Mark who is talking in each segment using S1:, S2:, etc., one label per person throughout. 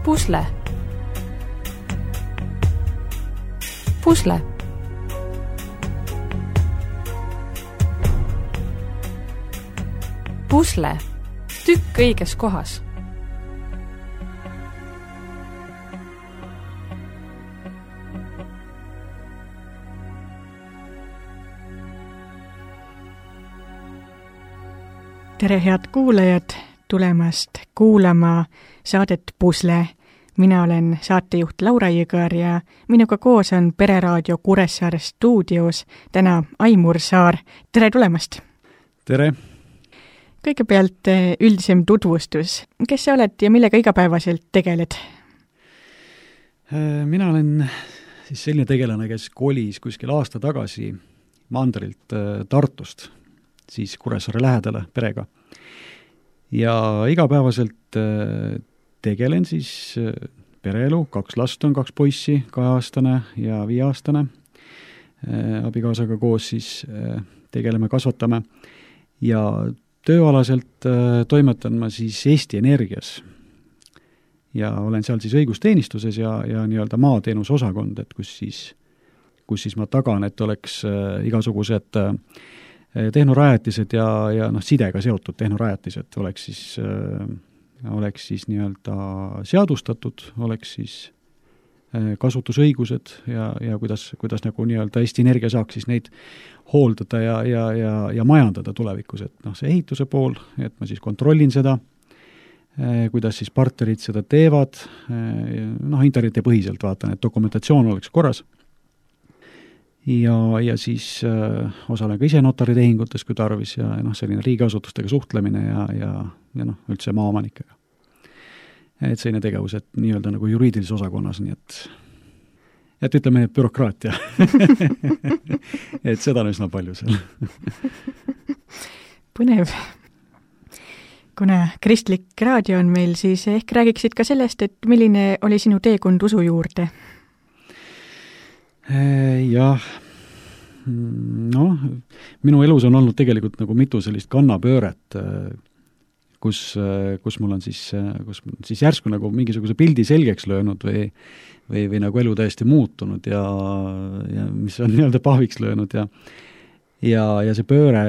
S1: Pusle. Pusle. Pusle. Tükk õiges kohas.
S2: Tere head kuulajad tulemast kuulama saadet Pusle. Mina olen saatejuht Laura Jõgar ja minuga koos on Pereraadio Kuressaare stuudios täna Aimur Saar. Tere tulemast!
S3: Tere!
S2: Kõigepealt üldisem tutvustus. Kes sa oled ja millega igapäevaselt tegeled?
S3: Mina olen siis selline tegelane, kes kolis kuskil aasta tagasi mandrilt Tartust, siis Kuressaare lähedale perega. Ja igapäevaselt tegelen siis pereelu, 2 last on, 2 poissi, 2-aastane ja 5-aastane. Abikaasaga koos siis tegeleme, kasvatame ja tööalaselt toimetan ma siis Eesti Energias. Ja olen seal siis õigusteenistuses ja nii-öelda maateenuse osakond, et kus siis ma tagan, et oleks igasugused tehnorajatised ja sidega seotud tehnorajatised oleks siis nii-öelda seadustatud, oleks siis kasutusõigused ja kuidas nagu nii-öelda Eesti Energia saaks siis neid hooldada ja majandada tulevikus, et see ehituse pool, et ma siis kontrollin seda, kuidas siis partnerid seda teevad, internetipõhiselt vaatan, et dokumentatsioon oleks korras. Ja siis osalen ka ise notaritehingutes, kui tarvis, ja selline riigiasutustega suhtlemine ja üldse maaomanikega. Et selline tegevus, et nii-öelda nagu juriidilises osakonnas, nii et ütleme nüüd bürokraatia. Et seda on üsna palju seal.
S2: Põnev. Kuna kristlik raadio on meil, siis ehk räägiksid ka sellest, et milline oli sinu teekond usu juurde?
S3: Jah, minu elus on olnud tegelikult nagu mitu sellist kannapööret, kus mul on siis järsku nagu mingisuguse pildi selgeks löönud või nagu elu täiesti muutunud ja mis on nii-öelda pahviks löönud ja see pööre,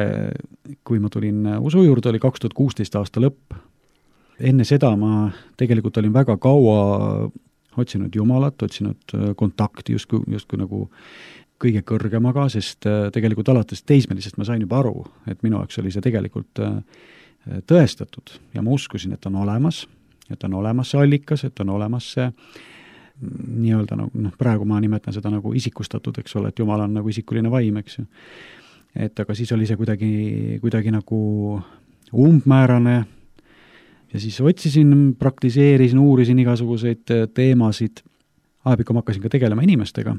S3: kui ma tulin usu juurde, oli 2016 aasta lõpp. Enne seda ma tegelikult olin väga kaua otsinud Jumalat, otsinud kontakti justkui nagu kõige kõrgemaga, sest tegelikult alates teismelisest ma sain juba aru, et minu jaoks oli see tegelikult tõestatud ja ma uskusin, et on olemas see allikas, et on olemas see nii-öelda praegu ma nimetan seda nagu isikustatud, eks ole, et Jumal on nagu isikuline vaim, eks ju. Et aga siis oli see kuidagi nagu umbmäärane ja siis otsisin, praktiseerisin, uurisin igasuguseid teemasid. Ajapikku ma hakkasin ka tegelema inimestega.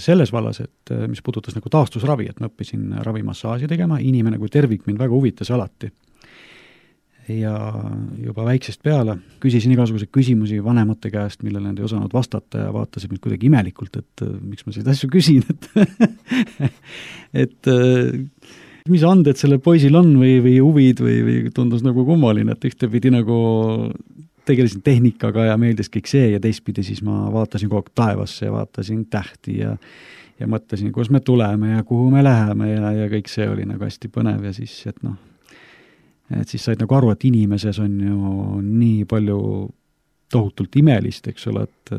S3: Selles vallas, et mis puudutas nagu taastusravi, et ma õppisin ravimassaaži tegema, inimene kui tervik mind väga huvitas alati. Ja juba väiksest peale küsisin igasuguseid küsimusi vanemate käest, millele nad ei osanud vastata ja vaatasid mind kuidagi imelikult, et miks ma seda asju küsin, et mis anded sellel poisil on või huvid või tundus nagu kummaline, et ühtepidi nagu tegelesin tehnikaga ja meeldis kõik see ja teistpidi siis ma vaatasin kogu aeg taevasse ja vaatasin tähti ja mõtlesin, kus me tuleme ja kuhu me läheme ja kõik see oli nagu hästi põnev ja siis, et siis said nagu aru, et inimeses on ju nii palju tohutult imelist, eks ole, et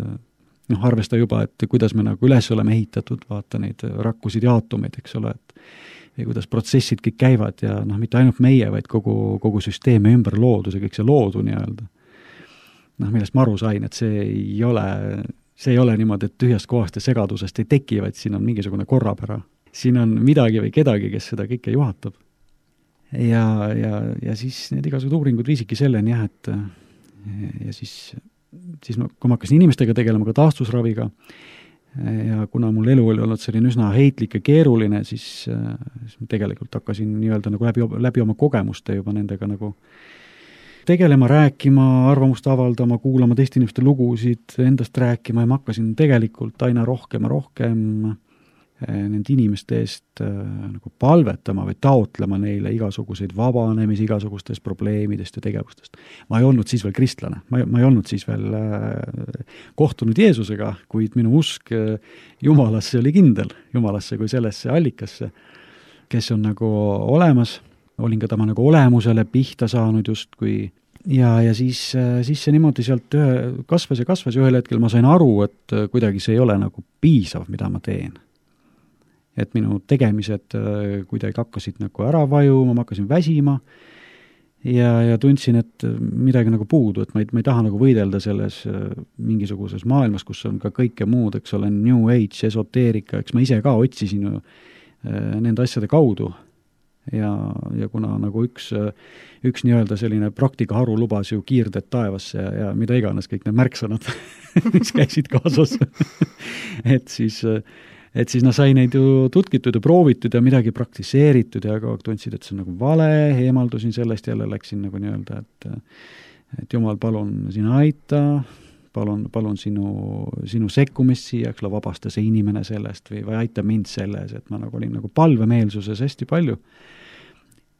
S3: arvesta juba, et kuidas me nagu üles oleme ehitatud, vaata neid rakkusid ja aatomeid, eks ole, ja kuidas protsessid kõik käivad ja mitte ainult meie, vaid kogu süsteemi ümber loodus ja kõik see loodu nii-öelda. Millest ma aru sain, et see ei ole niimoodi, et tühjast kohast ja segadusest ei teki, vaid siin on mingisugune korrapära. Siin on midagi või kedagi, kes seda kõike juhatab. Ja siis need igasugused uuringud viisidki selleni, et ja siis kui ma hakkasin inimestega tegelema ka taastusraviga ja kuna mul elu oli olnud selline üsna heitlik ja keeruline, siis tegelikult hakkasin nii-öelda nagu läbi oma kogemuste juba nendega nagu tegelema, rääkima, arvamust avaldama, kuulama teiste inimeste lugusid, endast rääkima ja ma hakkasin tegelikult aina rohkem nende inimeste eest nagu palvetama või taotlema neile igasuguseid vabanemisi igasugustest probleemidest ja tegevustest. Ma ei olnud siis veel kristlane, ma ei olnud siis veel kohtunud Jeesusega, kuid minu usk Jumalasse oli kindel, Jumalasse kui sellesse allikasse, kes on nagu olemas, olin ka tema nagu olemusele pihta saanud justkui ja siis see niimoodi sealt kasvas ja ühel hetkel ma sain aru, et kuidagi see ei ole nagu piisav, mida ma teen. Et minu tegemised kuidagi hakkasid nagu ära vajuma, ma hakkasin väsima ja tundsin, et midagi nagu puudu, et ma ei taha nagu võidelda selles mingisuguses maailmas, kus on ka kõike muud, eks ole, New Age, esoteerika, eks ma ise ka otsisin ju nende asjade kaudu ja kuna nagu üks nii-öelda selline praktikaharu lubas ju kiirded taevasse ja mida iganes kõik need märksõnad, mis käisid kaasas, et siis sai neid ju tutkitud ja proovitud ja midagi praktiseeritud ja kogu aeg tundsid, et see on nagu vale, eemaldusin sellest, jälle läksin nagu nii-öelda, et Jumal, palun sina aita, palun sinu sekkumist siia, eks ole, vabasta see inimene sellest või aita mind selles, et ma nagu olin nagu palvemeelsuses hästi palju.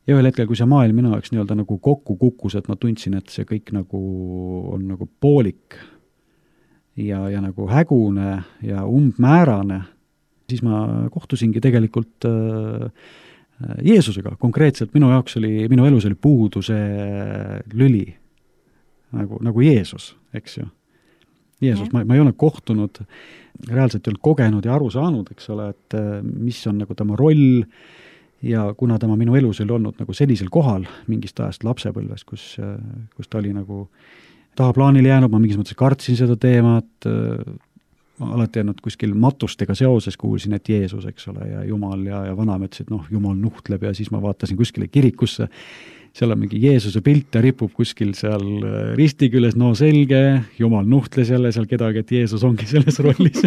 S3: Ja ühel hetkel, kui see maailm minu jaoks nii-öelda nagu kokku kukkus, et ma tundsin, et see kõik nagu on nagu poolik ja nagu hägune ja umbmäärane, siis ma kohtusingi tegelikult Jeesusega. Konkreetselt minu elus oli puudu see lüli, nagu Jeesus, eks ju. Jeesus, ma ei ole kohtunud, reaalselt ei olnud kogenud ja aru saanud, eks ole, et mis on nagu tema roll ja kuna tema minu elus oli olnud nagu sellisel kohal mingist ajast lapsepõlves, kus ta oli nagu tahaplaanile jäänud, ma mingis mõttes kartsin seda teemat, alati jäänud kuskil matustega seoses kuulsin, et Jeesus, eks ole, ja Jumal ja vanaema ütles, et Jumal nuhtleb ja siis ma vaatasin kuskile kirikusse, seal on mingi Jeesuse pilt ja ripub kuskil seal risti küljes, no selge, Jumal nuhtles jälle seal kedagi, et Jeesus ongi selles rollis.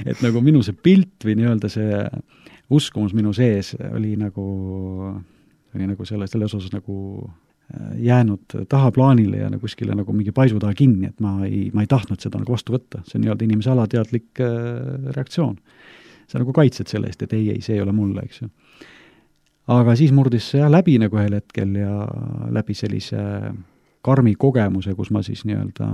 S3: Et nagu minu see pilt või nii-öelda see uskumus minu sees oli nagu selles osas nagu jäänud tahaplaanile ja kuskile nagu mingi paisu taha kinni, et ma ei tahtnud seda nagu vastu võtta. See on nii-öelda inimese alateadlik reaktsioon. Sa nagu kaitsed selle eest, et ei, see ei ole mulle, eks ju. Aga siis murdis see läbi nagu ühel hetkel ja läbi sellise karmi kogemuse, kus ma siis nii-öelda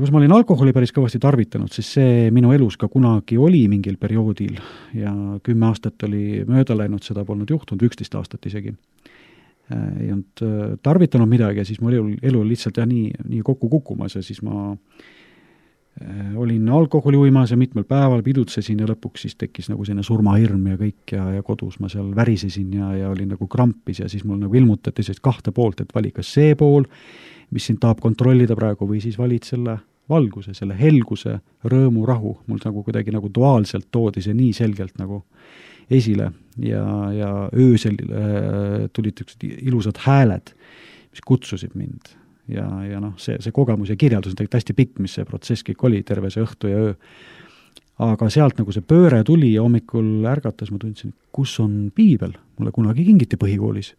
S3: kus ma olin alkoholi päris kõvasti tarvitanud, siis see minu elus ka kunagi oli mingil perioodil ja 10 aastat oli mööda läinud, seda polnud juhtunud, 11 aastat isegi. Ei olnud tarvitanud midagi ja siis mu elu lihtsalt nii kokku kukkumas ja siis ma olin alkoholi uimas ja mitmel päeval pidutsesin ja lõpuks siis tekkis nagu selline surmahirm ja kõik ja kodus ma seal värisesin ja olin nagu krampis ja siis mul nagu ilmutati sellist 2 poolt, et vali kas see pool, mis sind tahab kontrollida praegu või siis valid selle valguse, selle helguse, rõõmu, rahu. Mul nagu kuidagi nagu duaalselt toodi see nii selgelt nagu esile ja öösel tulid ilusad hääled, mis kutsusid mind. Ja see kogemus ja kirjeldus on tegelikult hästi pikk, mis see protsess kõik oli, terve see õhtu ja öö. Aga sealt nagu see pööre tuli ja hommikul ärgates ma tundsin, kus on piibel, mulle kunagi kingiti põhikoolis.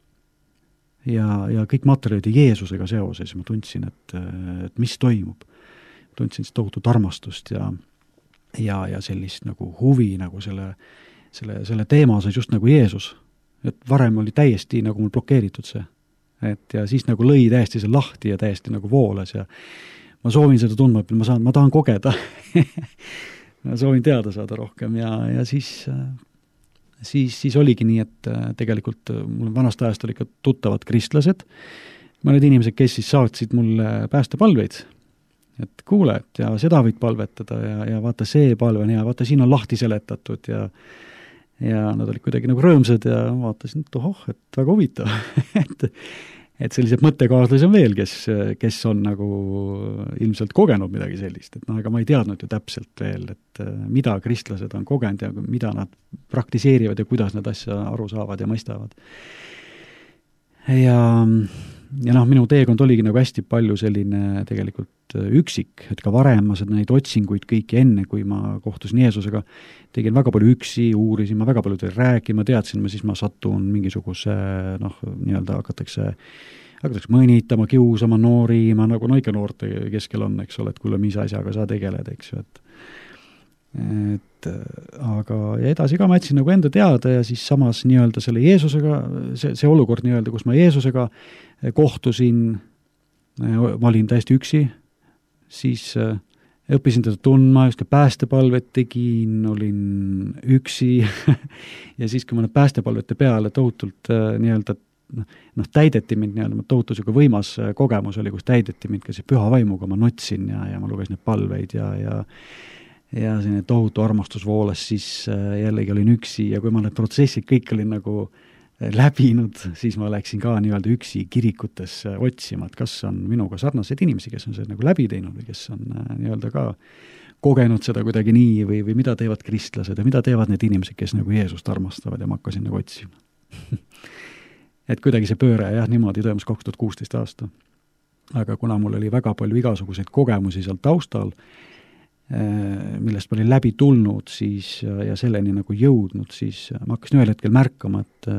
S3: Ja kõik materjalid Jeesusega seoses, ma tundsin, et mis toimub. Tundsin tohutut armastust ja sellist nagu huvi nagu selle teema osas just nagu Jeesus. Et varem oli täiesti nagu mul blokeeritud see. Ja siis nagu lõi täiesti see lahti ja täiesti nagu voolas ja ma soovin seda tundma, et ma tahan kogeda. Ma soovin teada saada rohkem ja siis oligi nii, et tegelikult mul vanast ajast oli ka tuttavad kristlased, mõned inimesed, kes siis saatsid mulle päästepalveid, et kuule, et ja seda võid palvetada ja vaata see palve on hea, vaata siin on lahti seletatud ja nad olid kuidagi nagu rõõmsad ja vaatasin, et et väga huvitav, et sellised mõttekaaslasi on veel, kes on nagu ilmselt kogenud midagi sellist, et aga ma ei teadnud ju täpselt veel, et mida kristlased on kogenud ja mida nad praktiseerivad ja kuidas nad asja aru saavad ja mõistavad. Ja minu teekond oligi nagu hästi palju selline tegelikult üksik, et ka varem ma neid otsinguid kõiki enne, kui ma kohtusin Jeesusega, tegin väga palju üksi, uurisin, ma väga palju teil rääkima, teadsin, siis ma satun mingisuguse, nii-öelda hakatakse mõnitama, kiusama, noorima, nagu ikka noorte keskel on, eks ole, et kuule, mis asjaga sa tegeled, eks ju, aga ja edasi ka ma jätsin nagu enda teada ja siis samas nii-öelda selle Jeesusega, see olukord nii-öelda, kus ma Jeesusega kohtusin, ma olin täiesti üksi, siis õppisin teda tundma, just ka päästepalvet tegin, olin üksi ja siis, kui ma need päästepalvete peale tohutult nii-öelda täideti mind nii-öelda, tohutu siuke võimas kogemus oli, kus täideti mind ka see püha vaimuga, ma nutsin ja ma lugesin neid palveid ja selline tohutu armastus voolas, siis jällegi olin üksi ja kui ma need protsessid kõik olin nagu läbinud, siis ma läksin ka nii-öelda üksi kirikutesse otsima, et kas on minuga sarnaseid inimesi, kes on seda nagu läbi teinud või kes on nii-öelda ka kogenud seda kuidagi nii või mida teevad kristlased ja mida teevad need inimesed, kes nagu Jeesust armastavad ja ma hakkasin nagu otsima. Et kuidagi see pööre jah, niimoodi toimus 2016 aasta. Aga kuna mul oli väga palju igasuguseid kogemusi seal taustal, millest ma olin läbi tulnud siis ja selleni nagu jõudnud, siis ma hakkasin ühel hetkel märkama, et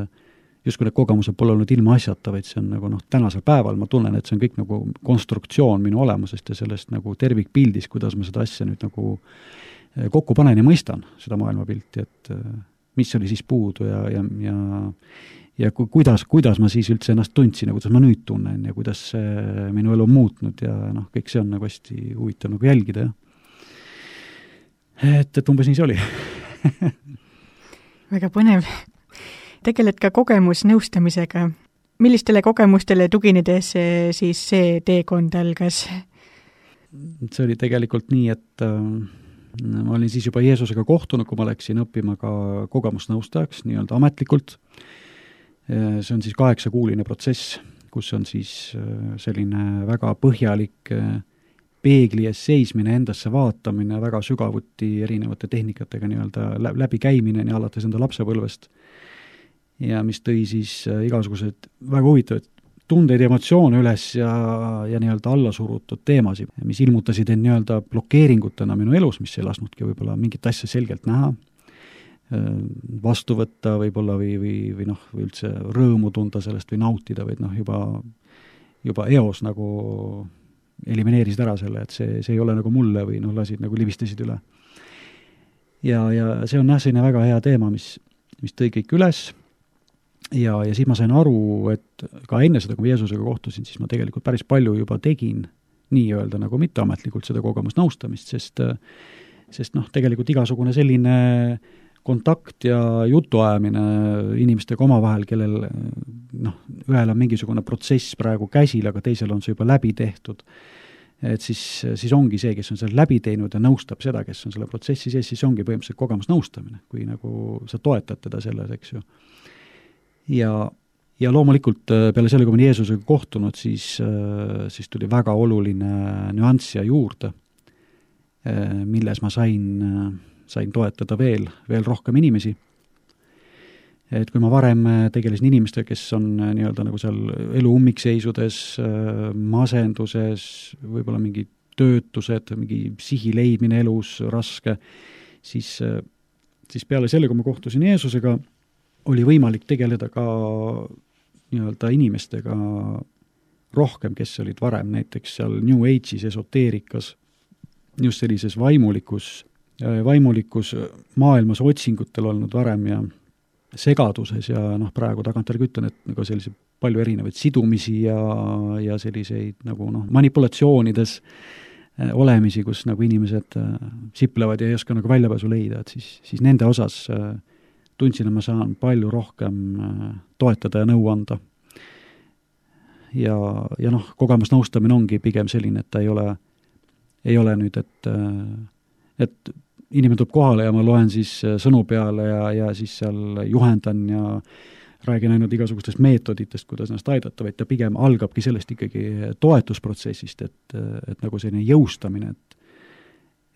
S3: justkui need kogemused pole olnud ilma asjata, vaid see on nagu tänasel päeval ma tunnen, et see on kõik nagu konstruktsioon minu olemusest ja sellest nagu tervikpildis, kuidas ma seda asja nüüd nagu kokku panen ja mõistan seda maailmapilti, et mis oli siis puudu ja kuidas ma siis üldse ennast tundsin ja kuidas ma nüüd tunnen ja kuidas minu elu on muutnud ja kõik see on nagu hästi huvitav nagu jälgida, jah. Et umbes nii see oli.
S2: Väga põnev. Tegeled ka kogemusnõustamisega. Millistele kogemustele tuginedes siis see teekond algas?
S3: See oli tegelikult nii, et ma olin siis juba Jeesusega kohtunud, kui ma läksin õppima ka kogemusnõustajaks nii-öelda ametlikult. See on siis 8-kuuline protsess, kus on siis selline väga põhjalik peegli ees seismine, endasse vaatamine, väga sügavuti erinevate tehnikatega nii-öelda läbi käimine ja alates enda lapsepõlvest. Ja mis tõi siis igasugused väga huvitavad tundeid ja emotsioone üles ja nii-öelda allasurutud teemasid, mis ilmutasid end nii-öelda blokeeringutena minu elus, mis ei lasknudki võib-olla mingit asja selgelt näha, vastu võtta võib-olla või üldse rõõmu tunda sellest või nautida, vaid juba eos nagu elimineerisid ära selle, et see ei ole nagu mulle või lasid nagu libistasid üle. Ja see on selline väga hea teema, mis tõi kõik üles ja siis ma sain aru, et ka enne seda, kui ma Jeesusega kohtusin, siis ma tegelikult päris palju juba tegin nii-öelda nagu mitteametlikult seda kogemusnõustamist, sest tegelikult igasugune selline kontakt ja jutuajamine inimestega omavahel, kellel ühel on mingisugune protsess praegu käsil, aga teisel on see juba läbi tehtud. Et siis ongi see, kes on selle läbi teinud ja nõustab seda, kes on selle protsessi sees, siis ongi põhimõtteliselt kogemusnõustamine, kui nagu sa toetad teda selles, eks ju. Ja loomulikult peale selle, kui ma Jeesusega kohtunud, siis tuli väga oluline nüanss ja juurde, milles ma sain toetada veel rohkem inimesi. Et kui ma varem tegelesin inimestega, kes on nii-öelda nagu seal elu ummikseisudes, masenduses, võib-olla mingi töötused, mingi sihi leidmine elus raske, siis peale selle, kui ma kohtusin Jeesusega, oli võimalik tegeleda ka nii-öelda inimestega rohkem, kes olid varem näiteks seal New Age'is, esoteerikas, just sellises vaimulikus maailmas otsingutel olnud varem ja segaduses ja praegu tagantjärgi ütlen, et nagu sellise palju erinevaid sidumisi ja selliseid nagu manipulatsioonides olemisi, kus nagu inimesed siplevad ja ei oska nagu väljapääsu leida, et siis nende osas tundsin, et ma saan palju rohkem toetada ja nõu anda. Ja kogemusnõustamine ongi pigem selline, et ta ei ole nüüd, et inimene tuleb kohale ja ma loen siis sõnu peale ja siis seal juhendan ja räägin ainult igasugustest meetoditest, kuidas ennast aidata, vaid ta pigem algabki sellest ikkagi toetusprotsessist, et nagu selline jõustamine,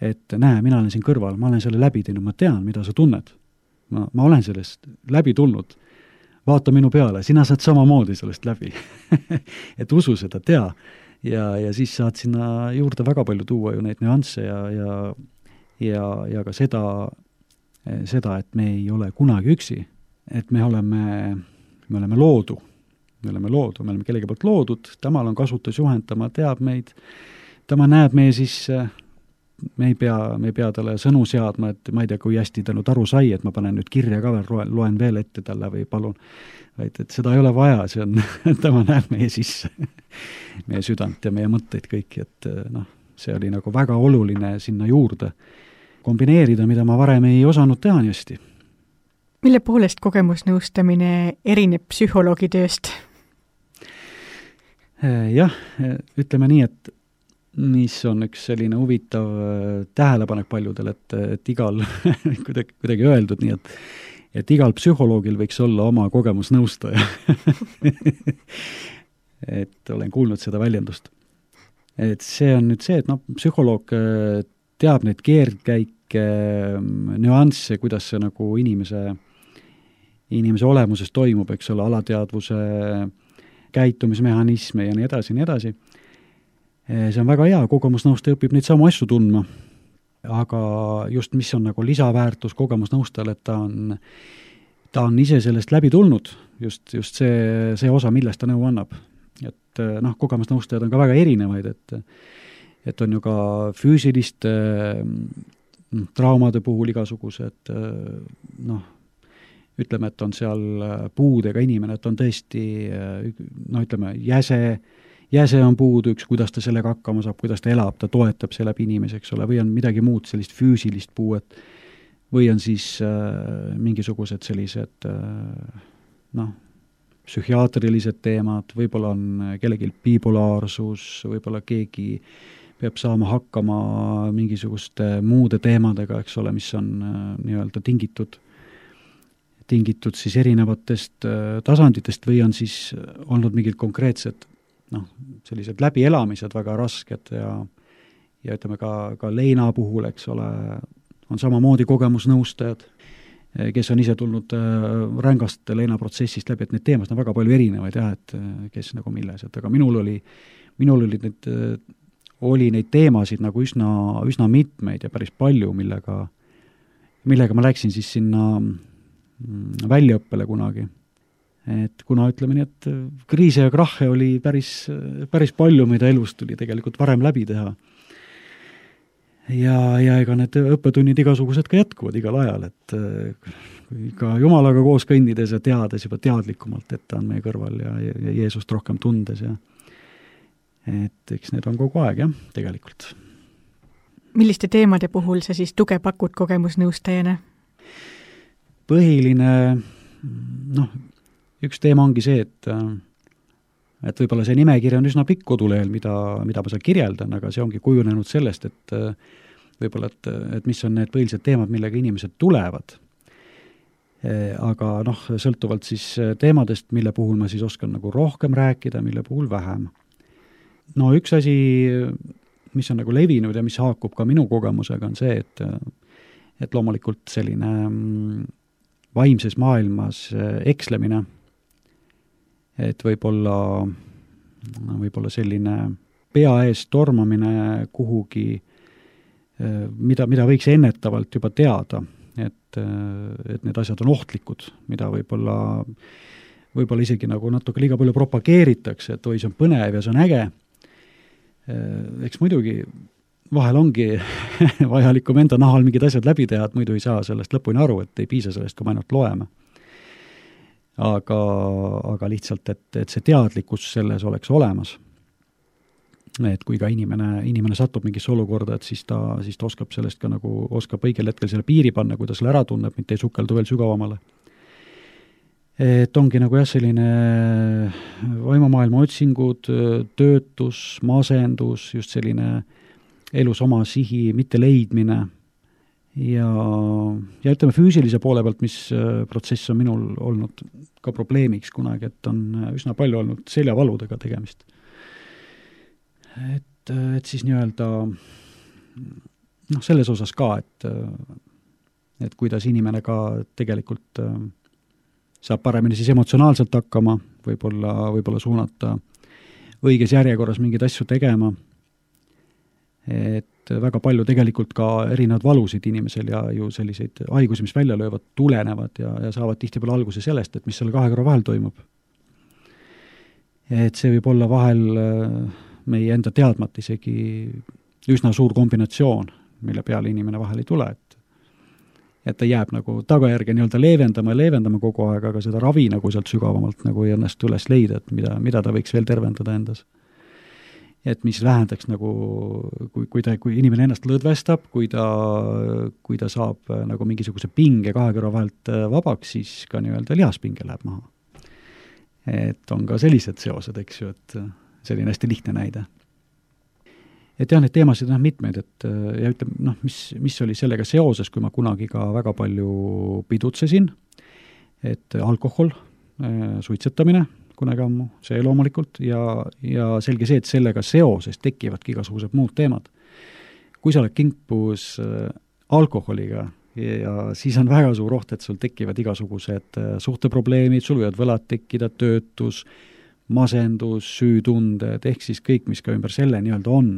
S3: et näe, mina olen siin kõrval, ma olen selle läbi teinud, ma tean, mida sa tunned. Ma olen sellest läbi tulnud. Vaata minu peale, sina saad samamoodi sellest läbi. Et usu seda, tea. Ja siis saad sinna juurde väga palju tuua ju neid nüansse ja ka seda, et me ei ole kunagi üksi, et me oleme loodu, me oleme kellegi poolt loodud, temal on kasutusjuhend, tema teab meid, tema näeb meie sisse, me ei pea talle sõnu seadma, et ma ei tea, kui hästi ta nüüd aru sai, et ma panen nüüd kirja ka veel, loen veel ette talle või palun, vaid et seda ei ole vaja, see on, tema näeb meie sisse, meie südant ja meie mõtteid kõiki, et see oli nagu väga oluline sinna juurde kombineerida, mida ma varem ei osanud teha nii hästi.
S2: Mille poolest kogemusnõustamine erineb psühholoogi tööst?
S3: Jah, ütleme nii, et mis on üks selline huvitav tähelepanek paljudel, et igal, kuidagi öeldud nii, et igal psühholoogil võiks olla oma kogemusnõustaja. Et olen kuulnud seda väljendust. Et see on nüüd see, et psühholoog teab neid keerdkäike, nüansse, kuidas see nagu inimese olemuses toimub, eks ole, alateadvuse käitumismehhanisme ja nii edasi, nii edasi. See on väga hea, kogemusnõustaja õpib neid samu asju tundma, aga just mis on nagu lisaväärtus kogemusnõustajal, et ta on ise sellest läbi tulnud, just see osa, millest ta nõu annab. Et kogemusnõustajad on ka väga erinevaid, et on ju ka füüsiliste traumade puhul igasugused, ütleme, et on seal puudega inimene, et on tõesti, ütleme, jäse on puudu üks, kuidas ta sellega hakkama saab, kuidas ta elab, ta toetab selle läbi inimese, eks ole, või on midagi muud sellist füüsilist puuet, või on siis mingisugused sellised, psühhiaatrilised teemad, võib-olla on kellelgi bipolaarsus, võib-olla keegi peab saama hakkama mingisuguste muude teemadega, eks ole, mis on nii-öelda tingitud siis erinevatest tasanditest või on siis olnud mingid konkreetsed sellised läbielamised väga rasked ja ütleme ka leina puhul, eks ole, on samamoodi kogemusnõustajad, kes on ise tulnud rängast leinaprotsessist läbi, et neid teemasid on väga palju erinevaid jah, et kes nagu milles, et aga minul oli neid teemasid nagu üsna mitmeid ja päris palju, millega ma läksin siis sinna väljaõppele kunagi. Et kuna ütleme nii, et kriise ja krahhe oli päris palju, mida elus tuli tegelikult varem läbi teha. Ja ega need õppetunnid igasugused ka jätkuvad igal ajal, et ka Jumalaga koos kõndides ja teades juba teadlikumalt, et ta on meie kõrval ja Jeesust rohkem tundes ja et eks need on kogu aeg jah, tegelikult.
S2: Milliste teemade puhul sa siis tuge pakud kogemusnõustajana?
S3: Põhiline, üks teema ongi see, et võib-olla see nimekiri on üsna pikk kodulehel, mida ma seal kirjeldan, aga see ongi kujunenud sellest, et võib-olla, et mis on need põhilised teemad, millega inimesed tulevad. Aga sõltuvalt siis teemadest, mille puhul ma siis oskan nagu rohkem rääkida, mille puhul vähem. Üks asi, mis on nagu levinud ja mis haakub ka minu kogemusega, on see, et loomulikult selline vaimses maailmas ekslemine, et võib-olla selline pea ees tormamine kuhugi, mida võiks ennetavalt juba teada, et need asjad on ohtlikud, mida võib-olla isegi nagu natuke liiga palju propageeritakse, et oi, see on põnev ja see on äge. Eks muidugi vahel ongi vajalikum enda nahal mingid asjad läbi teha, et muidu ei saa sellest lõpuni aru, et ei piisa sellest, kui me ainult loeme. Aga lihtsalt, et see teadlikkus selles oleks olemas. Et kui ka inimene satub mingisse olukorda, et siis ta oskab sellest ka nagu, oskab õigel hetkel selle piiri panna, kui ta selle ära tunneb, mitte ei sukeldu veel sügavamale. Et ongi nagu jah, selline vaimumaailma otsingud, töötus, masendus, just selline elus oma sihi mitte leidmine ja ütleme füüsilise poole pealt, mis protsess on minul olnud ka probleemiks kunagi, et on üsna palju olnud seljavaludega tegemist. Et siis nii-öelda selles osas ka, et kuidas inimene ka tegelikult saab paremini siis emotsionaalselt hakkama, võib-olla suunata õiges järjekorras mingeid asju tegema, et väga palju tegelikult ka erinevad valusid inimesel ja ju selliseid haigusi, mis välja löövad, tulenevad ja saavad tihtipeale alguse sellest, et mis selle kahe kõrva vahel toimub. Et see võib olla vahel meie enda teadmata isegi üsna suur kombinatsioon mille peale inimene vahel ei tule, et ta jääb nagu tagajärge nii-öelda leevendama kogu aeg, aga seda ravi nagu sealt sügavamalt nagu ei õnnestu üles leida, et mida ta võiks veel tervendada endas. Et mis vähendaks nagu, kui inimene ennast lõdvestab, kui ta saab nagu mingisuguse pinge kahe kõrva vahelt vabaks, siis ka nii-öelda lihaspinge läheb maha. Et on ka sellised seosed, eks ju, et selline hästi lihtne näide. Et jah, need teemasid on mitmeid, et ja ütleme, mis oli sellega seoses, kui ma kunagi ka väga palju pidutsesin, et alkohol, suitsetamine kunagi ammu, see loomulikult, ja selge see, et sellega seoses tekivadki igasugused muud teemad. Kui sa oled kimpus alkoholiga, ja siis on väga suur oht, et sul tekivad igasugused suhteprobleemid, sul võivad võlad tekkida, töötus, masendus, süütunded, ehk siis kõik, mis ka ümber selle nii-öelda on,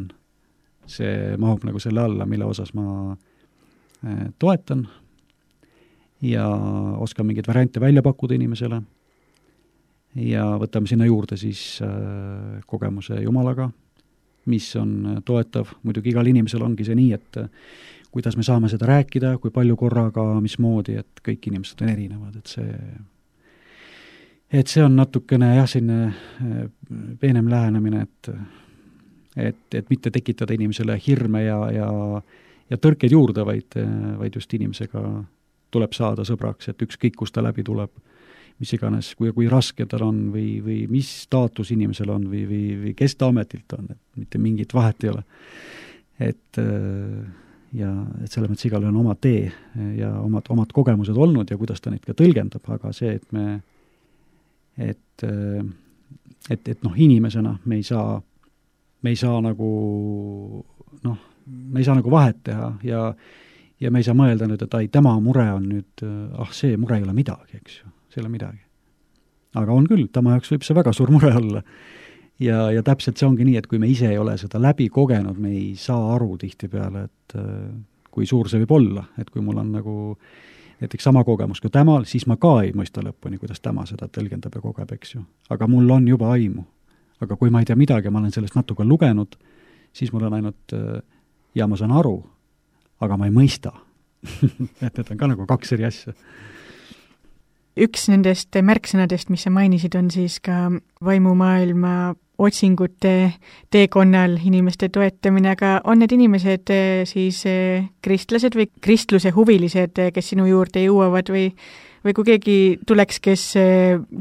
S3: see mahub nagu selle alla, mille osas ma toetan ja oskan mingeid variante välja pakkuda inimesele ja võtame sinna juurde siis kogemuse Jumalaga, mis on toetav. Muidugi igal inimesel ongi see nii, et kuidas me saame seda rääkida, kui palju korraga, mismoodi, et kõik inimesed on erinevad, et see on natukene jah, selline peenem lähenemine, et mitte tekitada inimesele hirme ja tõrkeid juurde, vaid just inimesega tuleb saada sõbraks, et ükskõik, kus ta läbi tuleb, mis iganes, kui raske tal on või mis staatus inimesel on või kes ta ametilt on, et mitte mingit vahet ei ole. Et selle mõttes igal on oma tee ja omad kogemused olnud ja kuidas ta neid ka tõlgendab, aga see, et inimesena me ei saa nagu me ei saa nagu vahet teha ja me ei saa mõelda nüüd, et tema mure on nüüd, see mure ei ole midagi, eks ju, see ei ole midagi. Aga on küll, tema jaoks võib see väga suur mure olla. Ja täpselt see ongi nii, et kui me ise ei ole seda läbi kogenud, me ei saa aru tihtipeale, et kui suur see võib olla, et kui mul on nagu näiteks sama kogemus kui temal, siis ma ka ei mõista lõpuni, kuidas tema seda tõlgendab ja kogeb, eks ju. Aga mul on juba aimu. Aga kui ma ei tea midagi, ma olen sellest natuke lugenud, siis mul on ainult, ja ma saan aru, aga ma ei mõista. et need on ka nagu kaks eri asja.
S2: Üks nendest märksõnadest, mis sa mainisid, on siis ka vaimumaailma otsingute teekonnal inimeste toetamine, aga on need inimesed siis kristlased või kristluse huvilised, kes sinu juurde jõuavad või kui keegi tuleks, kes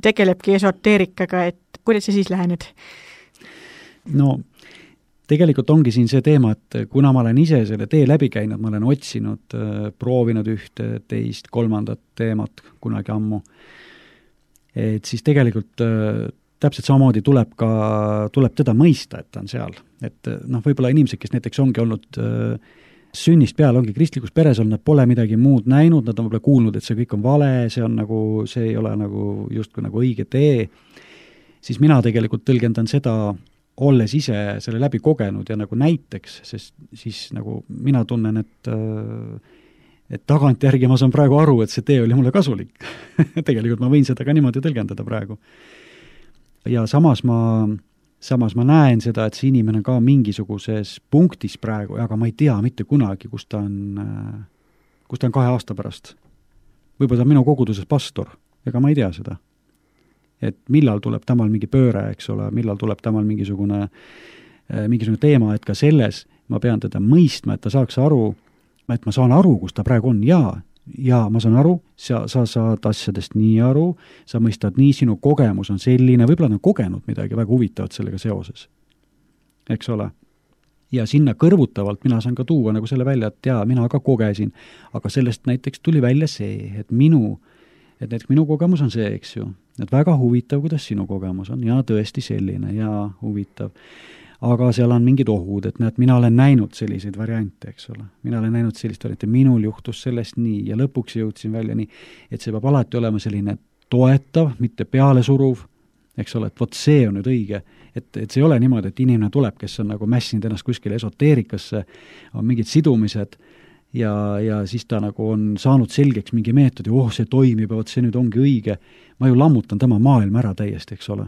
S2: tegelebki esoteerikaga, et kuidas sa siis lähened?
S3: No, tegelikult ongi siin see teema, et kuna ma olen ise selle tee läbi käinud, ma olen otsinud, proovinud ühte, teist, kolmandat teemat kunagi ammu, et siis tegelikult täpselt samamoodi tuleb teda mõista, et ta on seal. Et võib-olla inimesed, kes näiteks ongi olnud sünnist peale, ongi kristlikus peres olnud, nad pole midagi muud näinud, nad on võib-olla kuulnud, et see kõik on vale, see ei ole nagu justkui nagu õige tee, siis mina tegelikult tõlgendan seda, olles ise selle läbi kogenud ja nagu näiteks, sest siis nagu mina tunnen, et tagantjärgi ma saan praegu aru, et see tee oli mulle kasulik. Tegelikult ma võin seda ka niimoodi tõlgendada praegu. Ja samas ma näen seda, et see inimene ka mingisuguses punktis praegu, aga ma ei tea mitte kunagi, kus ta on 2 aasta pärast. Võib-olla ta on minu koguduses pastor, ega ma ei tea seda. Et millal tuleb tamal mingi pööre, eks ole, millal tuleb tamal mingisugune teema, et ka selles ma pean teda mõistma, et ta saaks aru, et ma saan aru, kus ta praegu on, ja ma saan aru, sa saad asjadest nii aru, sa mõistad nii, sinu kogemus on selline, võib-olla on kogenud midagi väga huvitavat sellega seoses, eks ole. Ja sinna kõrvutavalt mina saan ka tuua nagu selle välja, et mina ka kogesin, aga sellest näiteks tuli välja see, et näiteks minu kogemus on see, eks ju, et väga huvitav, kuidas sinu kogemus on, ja tõesti selline, ja huvitav. Aga seal on mingid ohud, et näed, mina olen näinud selliseid variante, eks ole. Mina olen näinud sellist variante, minul juhtus sellest nii, ja lõpuks jõudsin välja nii, et see peab alati olema selline toetav, mitte pealesuruv, eks ole, et vot see on nüüd õige, et see ei ole niimoodi, et inimene tuleb, kes on nagu mässinud ennast kuskile esoteerikasse, on mingid sidumised, ja siis ta nagu on saanud selgeks mingi meetodi, see toimib, vot see nüüd ongi õige. Ma ju lammutan tema maailma ära täiesti, eks ole.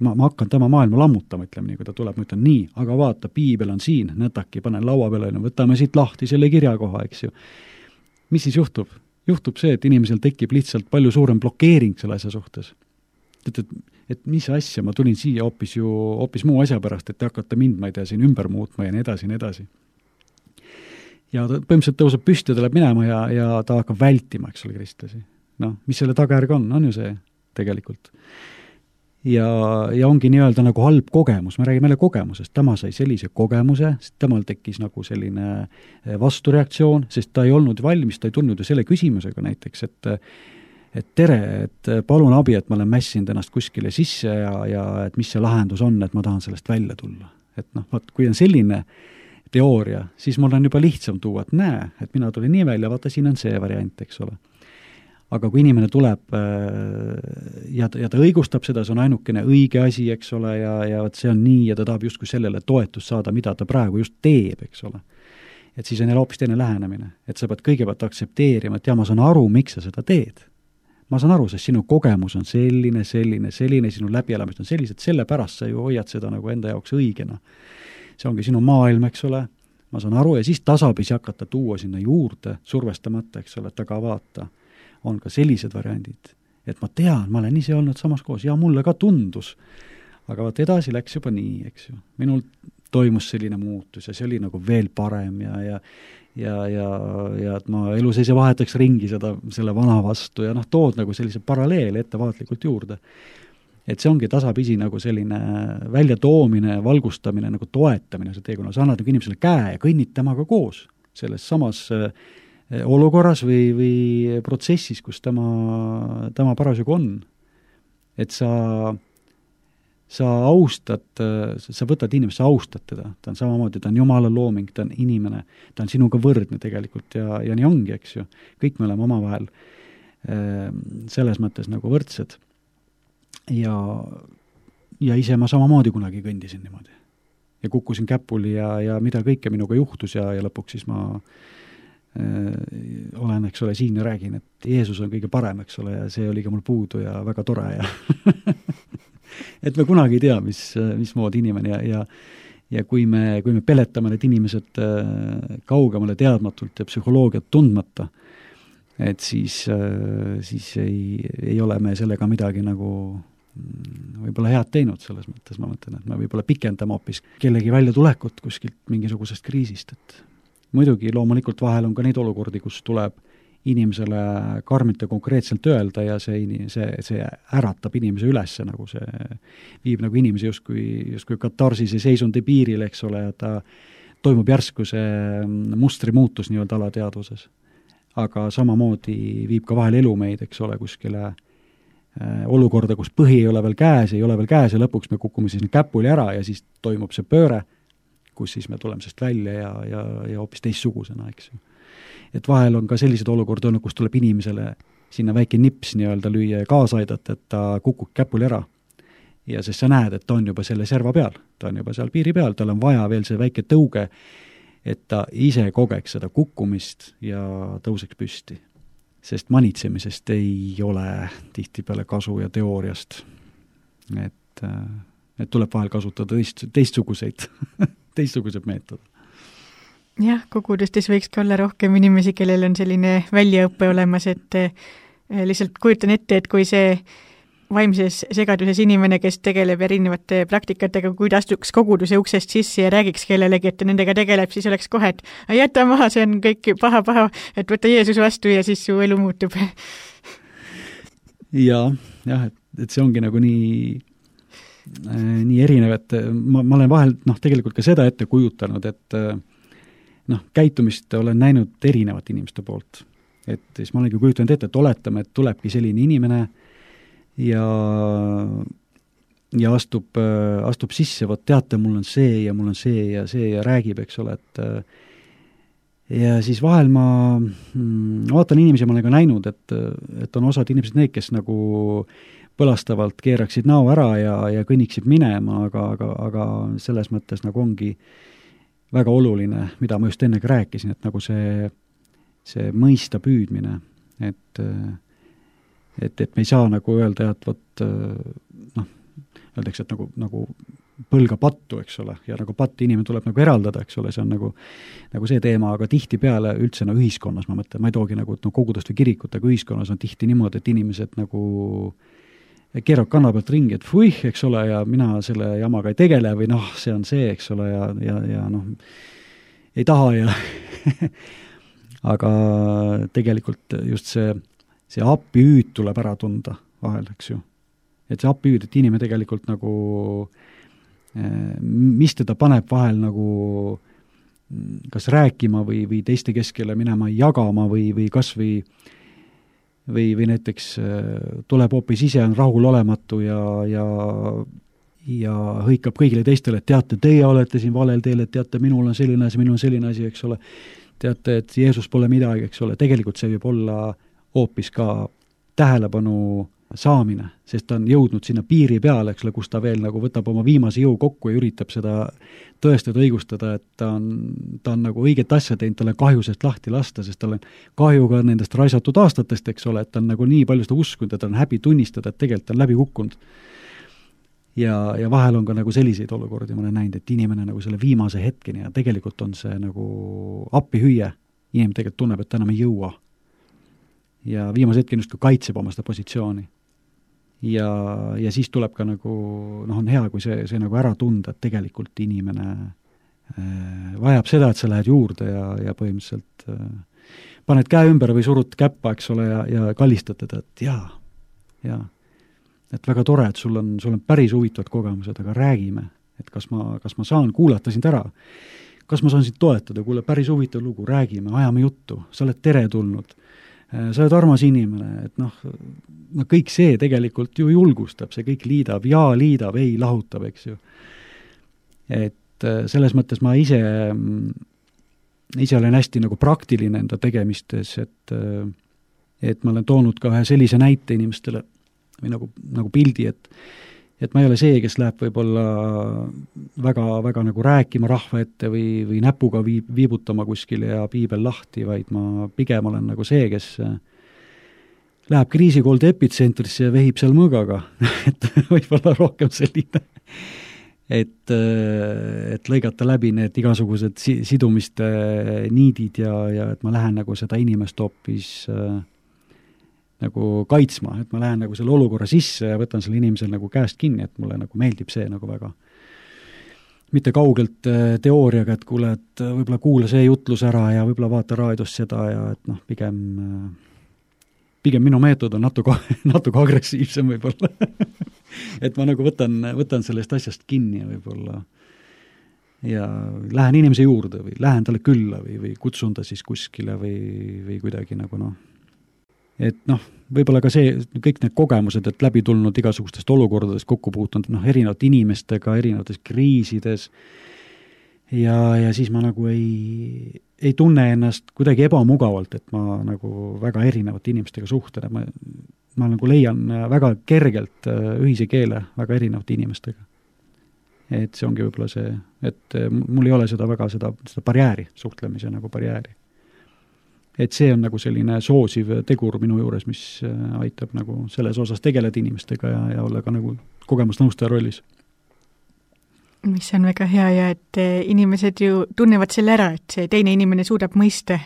S3: ma hakkan tema maailma lammutama, ütleme nii, kui ta tuleb, ma ütlen nii, aga vaata, piibel on siin, nõtaki, panen laua peale, võtame siit lahti selle kirjakoha, eks ju. Mis siis juhtub? Juhtub see, et inimesel tekib lihtsalt palju suurem blokeering selle asja suhtes. Et mis asja, ma tulin siia hoopis muu asja pärast, et te hakkate mind, ma ei tea, siin ümber muutma ja nii edasi, nii edasi. Ja ta põhimõtteliselt tõuseb püsti, ta läheb minema ja ta hakkab vältima, eks ole, kristlasi. Noh, mis selle tagajärg on ju see tegelikult. Ja ongi nii-öelda nagu halb kogemus, me räägime jälle kogemusest, tema sai sellise kogemuse, sest temal tekkis nagu selline vastureaktsioon, sest ta ei olnud valmis, ta ei tulnud ju selle küsimusega näiteks, et tere, et palun abi, et ma olen mässinud ennast kuskile sisse ja et mis see lahendus on, et ma tahan sellest välja tulla. Et noh, kui on selline teooria, siis mul on juba lihtsam tuua, et näe, et mina tulin nii välja, vaata, siin on see variant, eks ole. Aga kui inimene tuleb ja ta õigustab seda, see on ainukene õige asi, eks ole, ja see on nii, ja ta tahab justkui sellele toetust saada, mida ta praegu just teeb, eks ole. Et siis on jälle hoopis teine lähenemine. Et sa pead kõigepealt aktsepteerima, et ma saan aru, miks sa seda teed. Ma saan aru, sest sinu kogemus on selline, sinu läbielamist on sellised, sellepärast sa ju hoiad seda nagu enda jaoks õigena. See ongi sinu maailm, eks ole. Ma saan aru, ja siis tasapisi hakata tuua sinna juurde, survestamata, eks ole, et aga vaata, on ka sellised variandid, et ma tean, ma olen ise olnud samas koos ja mulle ka tundus, aga vaat edasi läks juba nii, eks ju. Minul toimus selline muutus ja see oli nagu veel parem ja et ma elu seise vahetaks ringi selle vana vastu ja tood nagu sellise paralleeli ettevaatlikult juurde. Et see ongi tasapisi nagu selline väljatoomine, valgustamine, nagu toetamine, see teekonna, sa annad nagu inimesele käe ja kõnnid temaga koos selles samas olukorras või protsessis, kus tema parasjagu on. Et sa austad, sa võtad inimest, sa austad teda, ta on samamoodi, ta on Jumala looming, ta on inimene, ta on sinuga võrdne tegelikult ja nii ongi, eks ju. Kõik me oleme omavahel selles mõttes nagu võrdsed ja ise ma samamoodi kunagi kõndisin niimoodi ja kukkusin käpuli ja mida kõike minuga juhtus ja lõpuks siis ma olen, eks ole, siin ja räägin, et Jeesus on kõige parem, eks ole, ja see oli ka mul puudu ja väga tore ja et me kunagi ei tea, mismoodi inimene ja kui me peletame need inimesed kaugemale teadmatult ja psühholoogiat tundmata, et siis ei ole me sellega midagi nagu võib-olla head teinud selles mõttes, ma mõtlen, et me võib-olla pikendame hoopis kellegi väljatulekut kuskilt mingisugusest kriisist, et muidugi loomulikult vahel on ka neid olukordi, kus tuleb inimesele karmilt ja konkreetselt öelda ja see äratab inimese üles, nagu see viib nagu inimese justkui katarsise seisundi piiril, eks ole, ja ta toimub järsku see mustri muutus nii-öelda alateadvuses. Aga samamoodi viib ka vahel elu meid, eks ole, kuskile olukorda, kus põhi ei ole veel käes ja lõpuks me kukume siis käpuli ära ja siis toimub see pööre, kus siis me tuleme sest välja ja hoopis teistsugusena, eks ju. Et vahel on ka sellised olukorda olnud, kus tuleb inimesele sinna väike nips nii-öelda lüüa ja kaasa aidata, et ta kukub käpuli ära. Ja sest sa näed, et ta on juba selle serva peal, ta on juba seal piiri peal, tal on vaja veel see väike tõuge, et ta ise kogeks seda kukkumist ja tõuseks püsti. Sest manitsemisest ei ole tihtipeale kasu ja teooriast. Et tuleb vahel kasutada teistsuguseid meetod.
S2: Jah, kogudustes võiks ka olla rohkem inimesi, kellel on selline väljaõppe olemas, et lihtsalt kujutan ette, et kui see vaimses segaduses inimene, kes tegeleb erinevate praktikatega, kui ta astuks koguduse uksest sisse ja räägiks kellelegi, et nendega tegeleb, siis oleks kohe, et jäta maha, see on kõik paha, et võta Jeesus vastu ja siis su elu muutub.
S3: Jah, et see ongi nagu nii erinev, et ma olen vahel tegelikult ka seda ette kujutanud, et käitumist olen näinud erinevate inimeste poolt. Et siis ma olengi kujutanud ette, et oletame, et tulebki selline inimene ja astub sisse, vot teate, mul on see ja räägib, eks ole, et ja siis vahel ma vaatan inimesi, ma olen ka näinud, et on osad inimesed need, kes nagu põlastavalt keeraksid näo ära ja kõnniksid minema, aga selles mõttes nagu ongi väga oluline, mida ma just ennegi rääkisin, et nagu see mõista püüdmine, et me ei saa nagu öelda, et öeldakse, et nagu põlga pattu, eks ole, ja nagu patt inimene tuleb nagu eraldada, eks ole, see on nagu see teema, aga tihtipeale üldse ühiskonnas, ma mõtlen, ma ei toogi nagu kogudust või kirikut, aga ühiskonnas on tihti niimoodi, et inimesed nagu keerab kanna pealt ringi, et fuih, eks ole, ja mina selle jamaga ei tegele või see on see, eks ole, ja ei taha ja aga tegelikult just see appihüüd tuleb ära tunda vahel, eks ju. Et see appihüüd, et inimene tegelikult nagu mis teda paneb vahel nagu kas rääkima või teiste keskele minema jagama või kas või näiteks tuleb hoopis ise, on rahulolematu ja hõikab kõigile teistele, et teate, teie olete siin valel teel, et teate, minul on selline asi, eks ole. Teate, et Jeesus pole midagi, eks ole. Tegelikult see võib olla hoopis ka tähelepanu saamine, sest ta on jõudnud sinna piiri peale, eks ole, kus ta veel nagu võtab oma viimase jõu kokku ja üritab seda tõestada, õigustada, et ta on nagu õiget asja teinud, talle kahju sest lahti lasta, sest tal on kahju ka nendest raisatud aastatest, eks ole, et ta on nagu nii palju seda uskunud, et ta on häbi tunnistada, et tegelikult ta on läbi kukkunud. Ja vahel on ka nagu selliseid olukordi, ma olen näinud, et inimene nagu selle viimase hetkeni ja tegelikult on see nagu appihüüe, inimene tegelikult tunneb, et ta enam ei jõua. Ja viimase hetkeni just kaitseb oma seda positsiooni. Ja siis tuleb ka nagu, on hea, kui see nagu ära tunda, et tegelikult inimene vajab seda, et sa lähed juurde ja põhimõtteliselt paned käe ümber või surud käppa, eks ole, ja kallistad teda, et jaa. Et väga tore, et sul on päris huvitavad kogemused, aga räägime, et kas ma saan kuulata sind ära, kas ma saan sind toetada, kuule, päris huvitav lugu, räägime, ajame juttu, sa oled teretulnud. Sa oled armas inimene, et kõik see tegelikult ju julgustab, see kõik liidab, liidab, ei lahutab, eks ju. Et selles mõttes ma ise olen hästi nagu praktiline enda tegemistes, et ma olen toonud ka ühe sellise näite inimestele või nagu pildi, et ma ei ole see, kes läheb võib-olla väga nagu rääkima rahva ette või näpuga viibutama kuskile ja piibel lahti, vaid ma pigem olen nagu see, kes läheb kriisikolde epitsentrisse ja vehib seal mõõgaga, et võib-olla rohkem selline, et lõigata läbi need igasugused sidumiste niidid ja et ma lähen nagu seda inimest hoopis nagu kaitsma, et ma lähen nagu selle olukorra sisse ja võtan selle inimesel nagu käest kinni, et mulle nagu meeldib see nagu väga. Mitte kaugelt teooriaga, et kuule, et võib-olla kuula see jutlus ära ja võib-olla vaata raadiost seda ja et pigem minu meetod on natuke agressiivsem võib-olla. Et ma nagu võtan sellest asjast kinni võib-olla ja lähen inimese juurde või lähen talle külla või kutsun ta siis kuskile või kuidagi nagu et võib-olla ka see, kõik need kogemused, et läbi tulnud igasugustest olukordadest kokku puutunud, erinevate inimestega, erinevates kriisides ja siis ma nagu ei tunne ennast kuidagi ebamugavalt, et ma nagu väga erinevate inimestega suhtlen, ma nagu leian väga kergelt ühise keele väga erinevate inimestega. Et see ongi võib-olla see, et mul ei ole seda barjääri, suhtlemise nagu barjääri. Et see on nagu selline soosiv tegur minu juures, mis aitab nagu selles osas tegeleda inimestega ja olla ka nagu kogemusnõustaja rollis.
S2: Mis on väga hea ja et inimesed ju tunnevad selle ära, et see teine inimene suudab mõista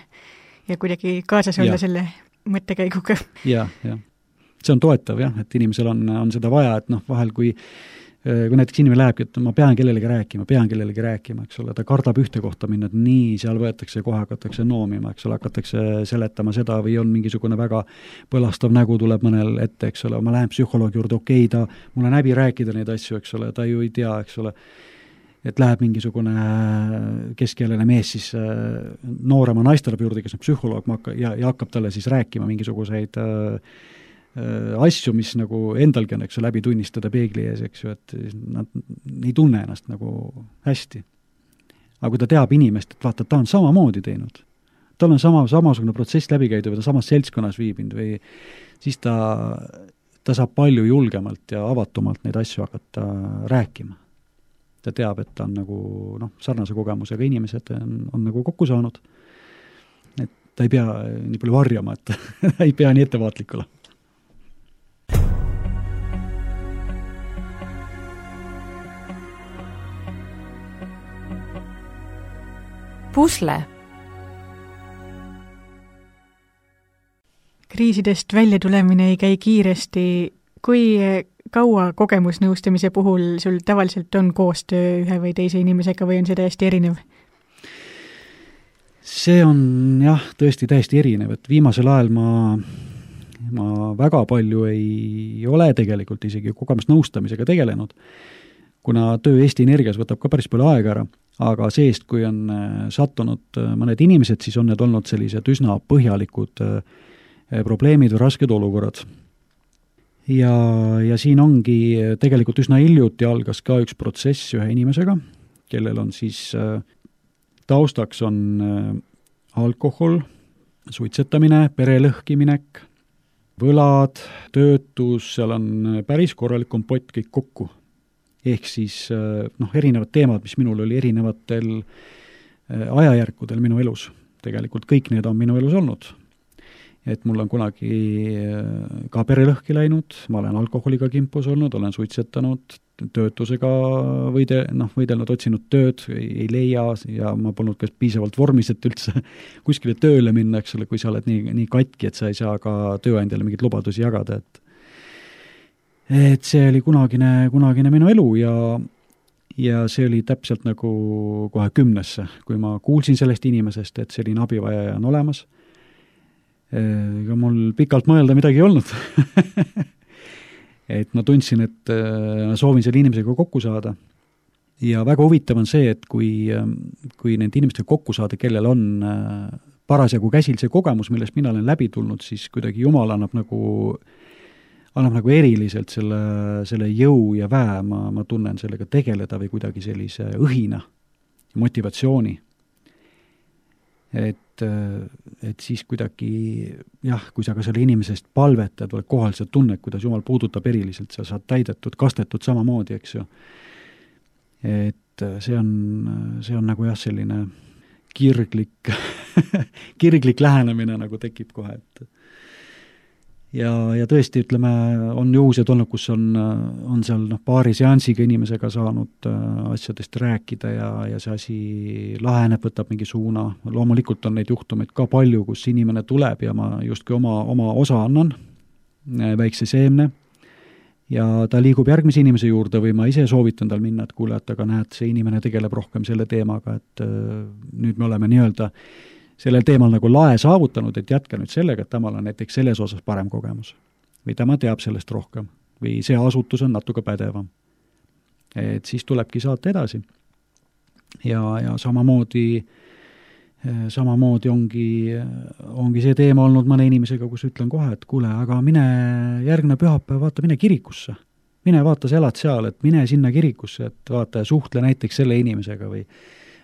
S2: ja kuidagi kaasas olla selle mõttekäiguga.
S3: Ja. See on toetav jah, et inimesel on seda vaja, et vahel kui näiteks inimene lähebki, et ma pean kellelegi rääkima, eks ole, ta kardab ühte kohta minna, et nii, seal võetakse kohe, hakatakse noomima, eks ole, hakatakse seletama seda või on mingisugune väga põlastav nägu tuleb mõnel ette, eks ole, ma lähen psühholoogi juurde, okei, mul on häbi rääkida neid asju, eks ole, ta ju ei tea, eks ole, et läheb mingisugune keskealine mees siis noorema naistarab juurde, kes on psühholoog ja hakkab talle siis rääkima mingisuguseid asju, mis nagu endalgi on, eks ju, läbi tunnistada peegli ees, eks ju, et nad ei tunne ennast nagu hästi. Aga kui ta teab inimest, et vaata, ta on samamoodi teinud, tal on samasugune protsess läbi käidud või ta samas seltskonnas viibinud või siis ta saab palju julgemalt ja avatumalt neid asju hakata rääkima. Ta teab, et ta on nagu sarnase kogemusega inimesed on nagu kokku saanud. Et ta ei pea nii palju varjama, et ta ei pea nii ettevaatlik olema.
S1: pusle.
S2: Kriisidest välja tulemine ei käi kiiresti. Kui kaua kogemusnõustamise puhul sul tavaliselt on koostöö ühe või teise inimesega või on see täiesti erinev?
S3: See on jah, tõesti täiesti erinev, et viimasel ajal ma väga palju ei ole tegelikult isegi kogemusnõustamisega tegelenud, kuna töö Eesti Energias võtab ka päris palju aega ära, aga seest, kui on sattunud mõned inimesed, siis on need olnud sellised üsna põhjalikud probleemid või rasked olukorrad. Ja siin ongi tegelikult üsna hiljuti algas ka üks protsess ühe inimesega, kellel on siis taustaks on alkohol, suitsetamine, perelõhkiminek, võlad, töötus, seal on päris korralik kompott kõik kokku. Ehk siis erinevad teemad, mis minul oli erinevatel ajajärkudel minu elus. Tegelikult kõik need on minu elus olnud. Et mul on kunagi ka perelõhki läinud, ma olen alkoholiga kimpus olnud, olen suitsetanud, töötusega võidelnud, otsinud tööd, ei leia ja ma polnud ka piisavalt vormis, et üldse kuskile tööle minna, eks ole, kui sa oled nii katki, et sa ei saa ka tööandjale mingeid lubadusi jagada, et see oli kunagine minu elu ja see oli täpselt nagu kohe 10. kui ma kuulsin sellest inimesest, et selline abivajaja on olemas. Ega mul pikalt mõelda midagi ei olnud. Et ma tundsin, et ma soovin selle inimesega kokku saada. Ja väga huvitav on see, et kui nende inimestega kokku saada, kellel on parasjagu käsil see kogemus, millest mina olen läbi tulnud, siis kuidagi Jumal annab nagu eriliselt selle jõu ja väe, ma tunnen sellega tegeleda või kuidagi sellise õhina, motivatsiooni. Et siis kuidagi, kui sa ka selle inimesest palvetad, oled kohal, sa tunned, kuidas Jumal puudutab eriliselt, sa saad täidetud, kastetud samamoodi, eks ju. Et see on nagu selline kirglik lähenemine nagu tekib kohe, et ja tõesti, ütleme, on juhused olnud, kus on seal paari seansiga inimesega saanud asjadest rääkida ja see asi laheneb, võtab mingi suuna. Loomulikult on neid juhtumeid ka palju, kus inimene tuleb ja ma justkui oma osa annan, väikse seemne, ja ta liigub järgmise inimese juurde või ma ise soovitan tal minna, et kuule, et aga näed, see inimene tegeleb rohkem selle teemaga, et nüüd me oleme nii-öelda sellel teemal nagu lae saavutanud, et jätka nüüd sellega, et temal on näiteks selles osas parem kogemus. Või tema teab sellest rohkem. Või see asutus on natuke pädevam. Et siis tulebki saata edasi. Ja samamoodi ongi see teema olnud mõne inimesega, kus ütlen kohe, et kuule, aga mine järgmine pühapäev, vaata, mine kirikusse. Mine vaata, sa elad seal, et mine sinna kirikusse, et vaata ja suhtle näiteks selle inimesega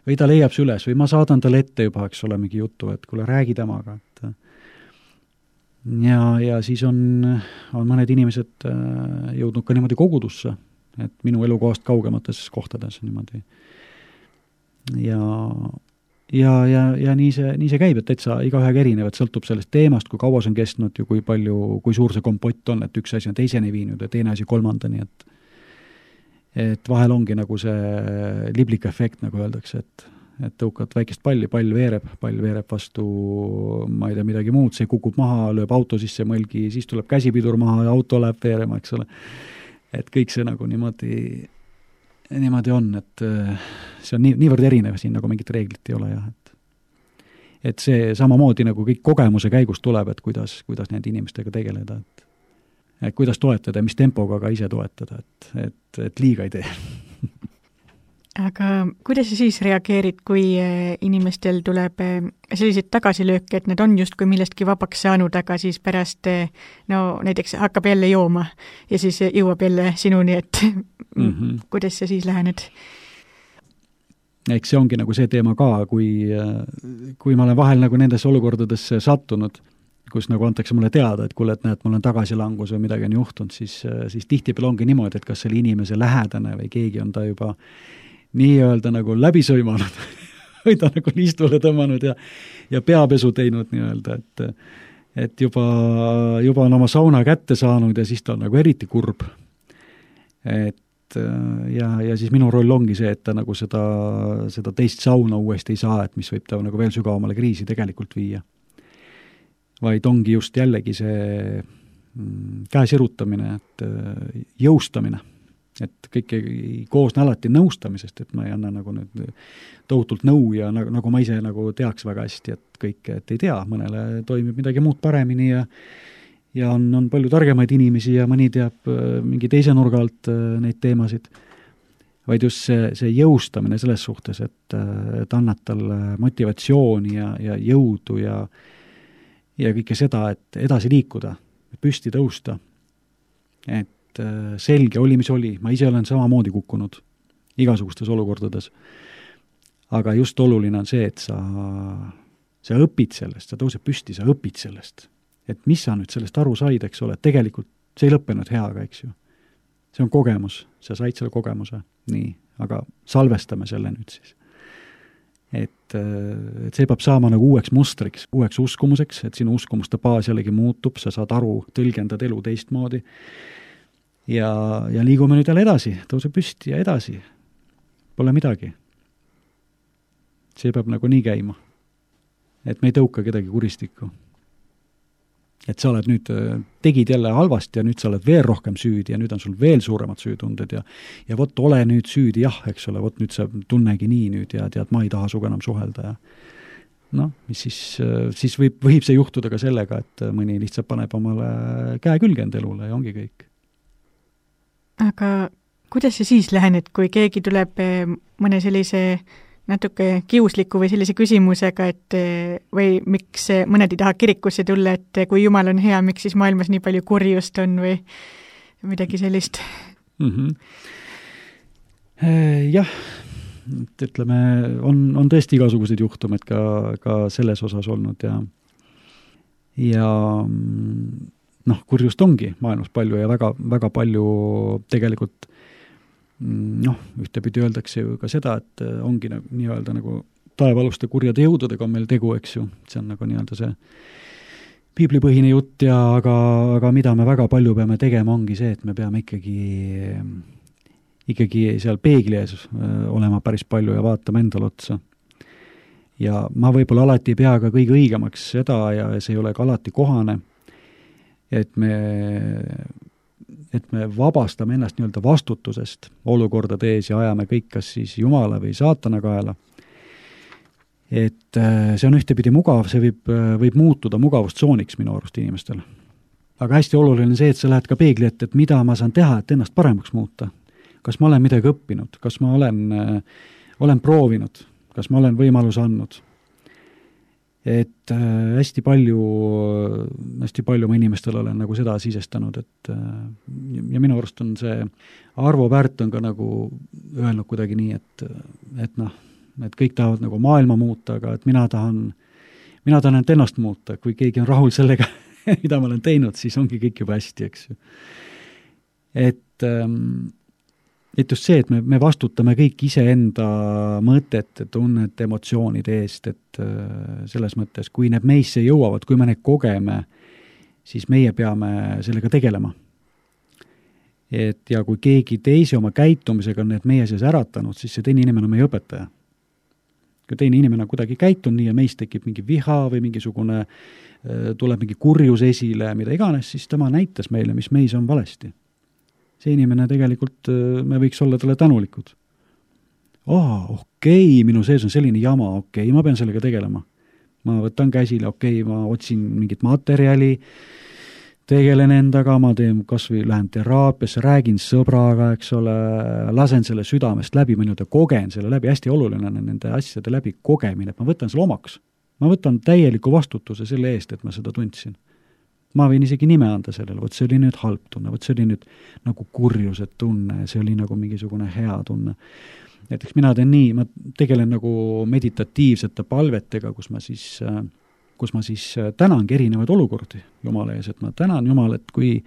S3: või ta leiab see üles või ma saadan talle ette juba, eks ole, mingi jutu, et kuule, räägi temaga. Ja siis on mõned inimesed jõudnud ka niimoodi kogudusse, et minu elukohast kaugemates kohtades niimoodi. Ja nii see käib, et täitsa igaühega erinev, et sõltub sellest teemast, kui kaua see on kestnud ja kui suur see kompott on, et üks asi on teiseni viinud ja teine asi kolmandani, et vahel ongi nagu see liblik efekt, nagu öeldakse, et tõukad väikest palli, pall veereb vastu, ma ei tea, midagi muud, see kukub maha, lööb auto sisse mõlgi, siis tuleb käsipidur maha ja auto läheb veerema, eks ole. Et kõik see nagu niimoodi on, et see on niivõrd erinev siin, nagu mingit reeglit ei ole, jah. Et see samamoodi nagu kõik kogemuse käigus tuleb, et kuidas nende inimestega tegeleda, et kuidas toetada ja mis tempoga ka ise toetada, et liiga ei tee.
S2: Aga kuidas sa siis reageerid, kui inimestel tuleb selliseid tagasilööke, et need on justkui millestki vabaks saanud, aga siis pärast näiteks hakkab jälle jooma ja siis jõuab jälle sinuni, et kuidas sa siis lähened?
S3: Eks see ongi nagu see teema ka, kui ma olen vahel nagu nendesse olukordadesse sattunud, kus nagu antakse mulle teada, et kuule, et näed, mul on tagasilangus või midagi on juhtunud, siis tihtipeale ongi niimoodi, et kas selle inimese lähedane või keegi on ta juba nii-öelda nagu läbi sõimanud või ta nagu liistule tõmmanud ja peapesu teinud nii-öelda, et juba on oma sauna kätte saanud ja siis ta on nagu eriti kurb. ja siis minu roll ongi see, et ta nagu seda teist sauna uuesti ei saa, et mis võib ta nagu veel sügavamale kriisi tegelikult viia. Vaid ongi just jällegi see käe sirutamine, et jõustamine. Et kõik ei koosne alati nõustamisest, et ma ei anna nagu nüüd tohutult nõu ja nagu ma ise nagu teaks väga hästi, et kõike, et ei tea, mõnele toimib midagi muud paremini ja on palju targemaid inimesi ja mõni teab mingi teise nurga alt neid teemasid, vaid just see jõustamine selles suhtes, et annad talle motivatsiooni ja jõudu ja kõike seda, et edasi liikuda, püsti tõusta, et selge oli, mis oli, ma ise olen samamoodi kukkunud igasugustes olukordades. Aga just oluline on see, et sa õpid sellest, sa tõused püsti, sa õpid sellest. Et mis sa nüüd sellest aru said, eks ole, et tegelikult see ei lõppenud heaga, eks ju. See on kogemus, sa said selle kogemuse, nii, aga salvestame selle nüüd siis. Et see peab saama nagu uueks mustriks, uueks uskumuseks, et sinu uskumuste baas jällegi muutub, sa saad aru, tõlgendad elu teistmoodi. Ja liigume nüüd jälle edasi, tõuse püsti ja edasi. Pole midagi. See peab nagu nii käima. Et me ei tõuka kedagi kuristikku. Et sa oled nüüd, tegid jälle halvasti ja nüüd sa oled veel rohkem süüdi ja nüüd on sul veel suuremad süütunded ja vot ole nüüd süüdi, jah, eks ole, vot nüüd sa tunnegi nii nüüd ja tead, ma ei taha suga enam suhelda ja noh, mis siis võib see juhtuda ka sellega, et mõni lihtsalt paneb omale käe külge enda elule ja ongi kõik.
S2: Aga kuidas sa siis lähened, kui keegi tuleb mõne sellise natuke kiusliku või sellise küsimusega, et või miks mõned ei taha kirikusse tulla, et kui Jumal on hea, miks siis maailmas nii palju kurjust on või midagi sellist?
S3: Jah, et ütleme, on tõesti igasugused juhtumid ka selles osas olnud ja noh, kurjust ongi maailmas palju ja väga, väga palju tegelikult noh, ühtepidi öeldakse ju ka seda, et ongi nii-öelda nagu taevaluste kurjade jõududega on meil tegu, eks ju, see on nagu nii-öelda see piiblipõhine jutt aga mida me väga palju peame tegema, ongi see, et me peame ikkagi seal peegli ees olema päris palju ja vaatama endale otsa. Ja ma võib-olla alati ei pea ka kõige õigemaks seda ja see ei ole ka alati kohane, et me vabastame ennast nii-öelda vastutusest olukordade ees ja ajame kõik kas siis Jumala või saatana kaela. Et see on ühtepidi mugav, see võib muutuda mugavustsooniks minu arust inimestel. Aga hästi oluline see, et sa lähed ka peegli ette, et mida ma saan teha, et ennast paremaks muuta. Kas ma olen midagi õppinud, kas ma olen proovinud, kas ma olen võimalus andnud. Et hästi palju ma inimestel olen nagu seda sisestanud, et ja minu arust on see Arvo Pärt on ka nagu öelnud kuidagi nii, et noh, et kõik tahavad nagu maailma muuta, aga et mina tahan ennast muuta, kui keegi on rahul sellega, mida ma olen teinud, siis ongi kõik juba hästi, eks ju. Et just see, et me vastutame kõik iseenda mõtete, tunnete, emotsioonide eest, et selles mõttes, kui need meisse jõuavad, kui me need kogeme, siis meie peame sellega tegelema. Et ja kui keegi teise oma käitumisega on need meie sees äratanud, siis see teine inimene on meie õpetaja. Kui teine inimene on kuidagi käitunud nii ja meist tekib mingi viha või mingisugune, tuleb mingi kurjus esile, mida iganes, siis tema näitas meile, mis meis on valesti. See inimene tegelikult, me võiks olla talle tänulikud. Okei, minu sees on selline jama, okei, ma pean sellega tegelema. Ma võtan käsile, okei, ma otsin mingit materjali, tegelen endaga, ma teen kasvõi lähen teraapiasse, räägin sõbraga, eks ole, lasen selle südamest läbi, ma nüüd kogen selle läbi, hästi oluline on nende asjade läbi kogemine, et ma võtan selle omaks. Ma võtan täieliku vastutuse selle eest, et ma seda tundsin. Ma võin isegi nime anda sellele, võt see oli nüüd halb tunne, võt see oli nüüd nagu kurjused tunne, see oli nagu mingisugune hea tunne. Näiteks mina teen nii, ma tegelen nagu meditatiivsete palvetega, kus ma siis tänangi erinevaid olukordi Jumala ees, et ma tänan Jumal, et kui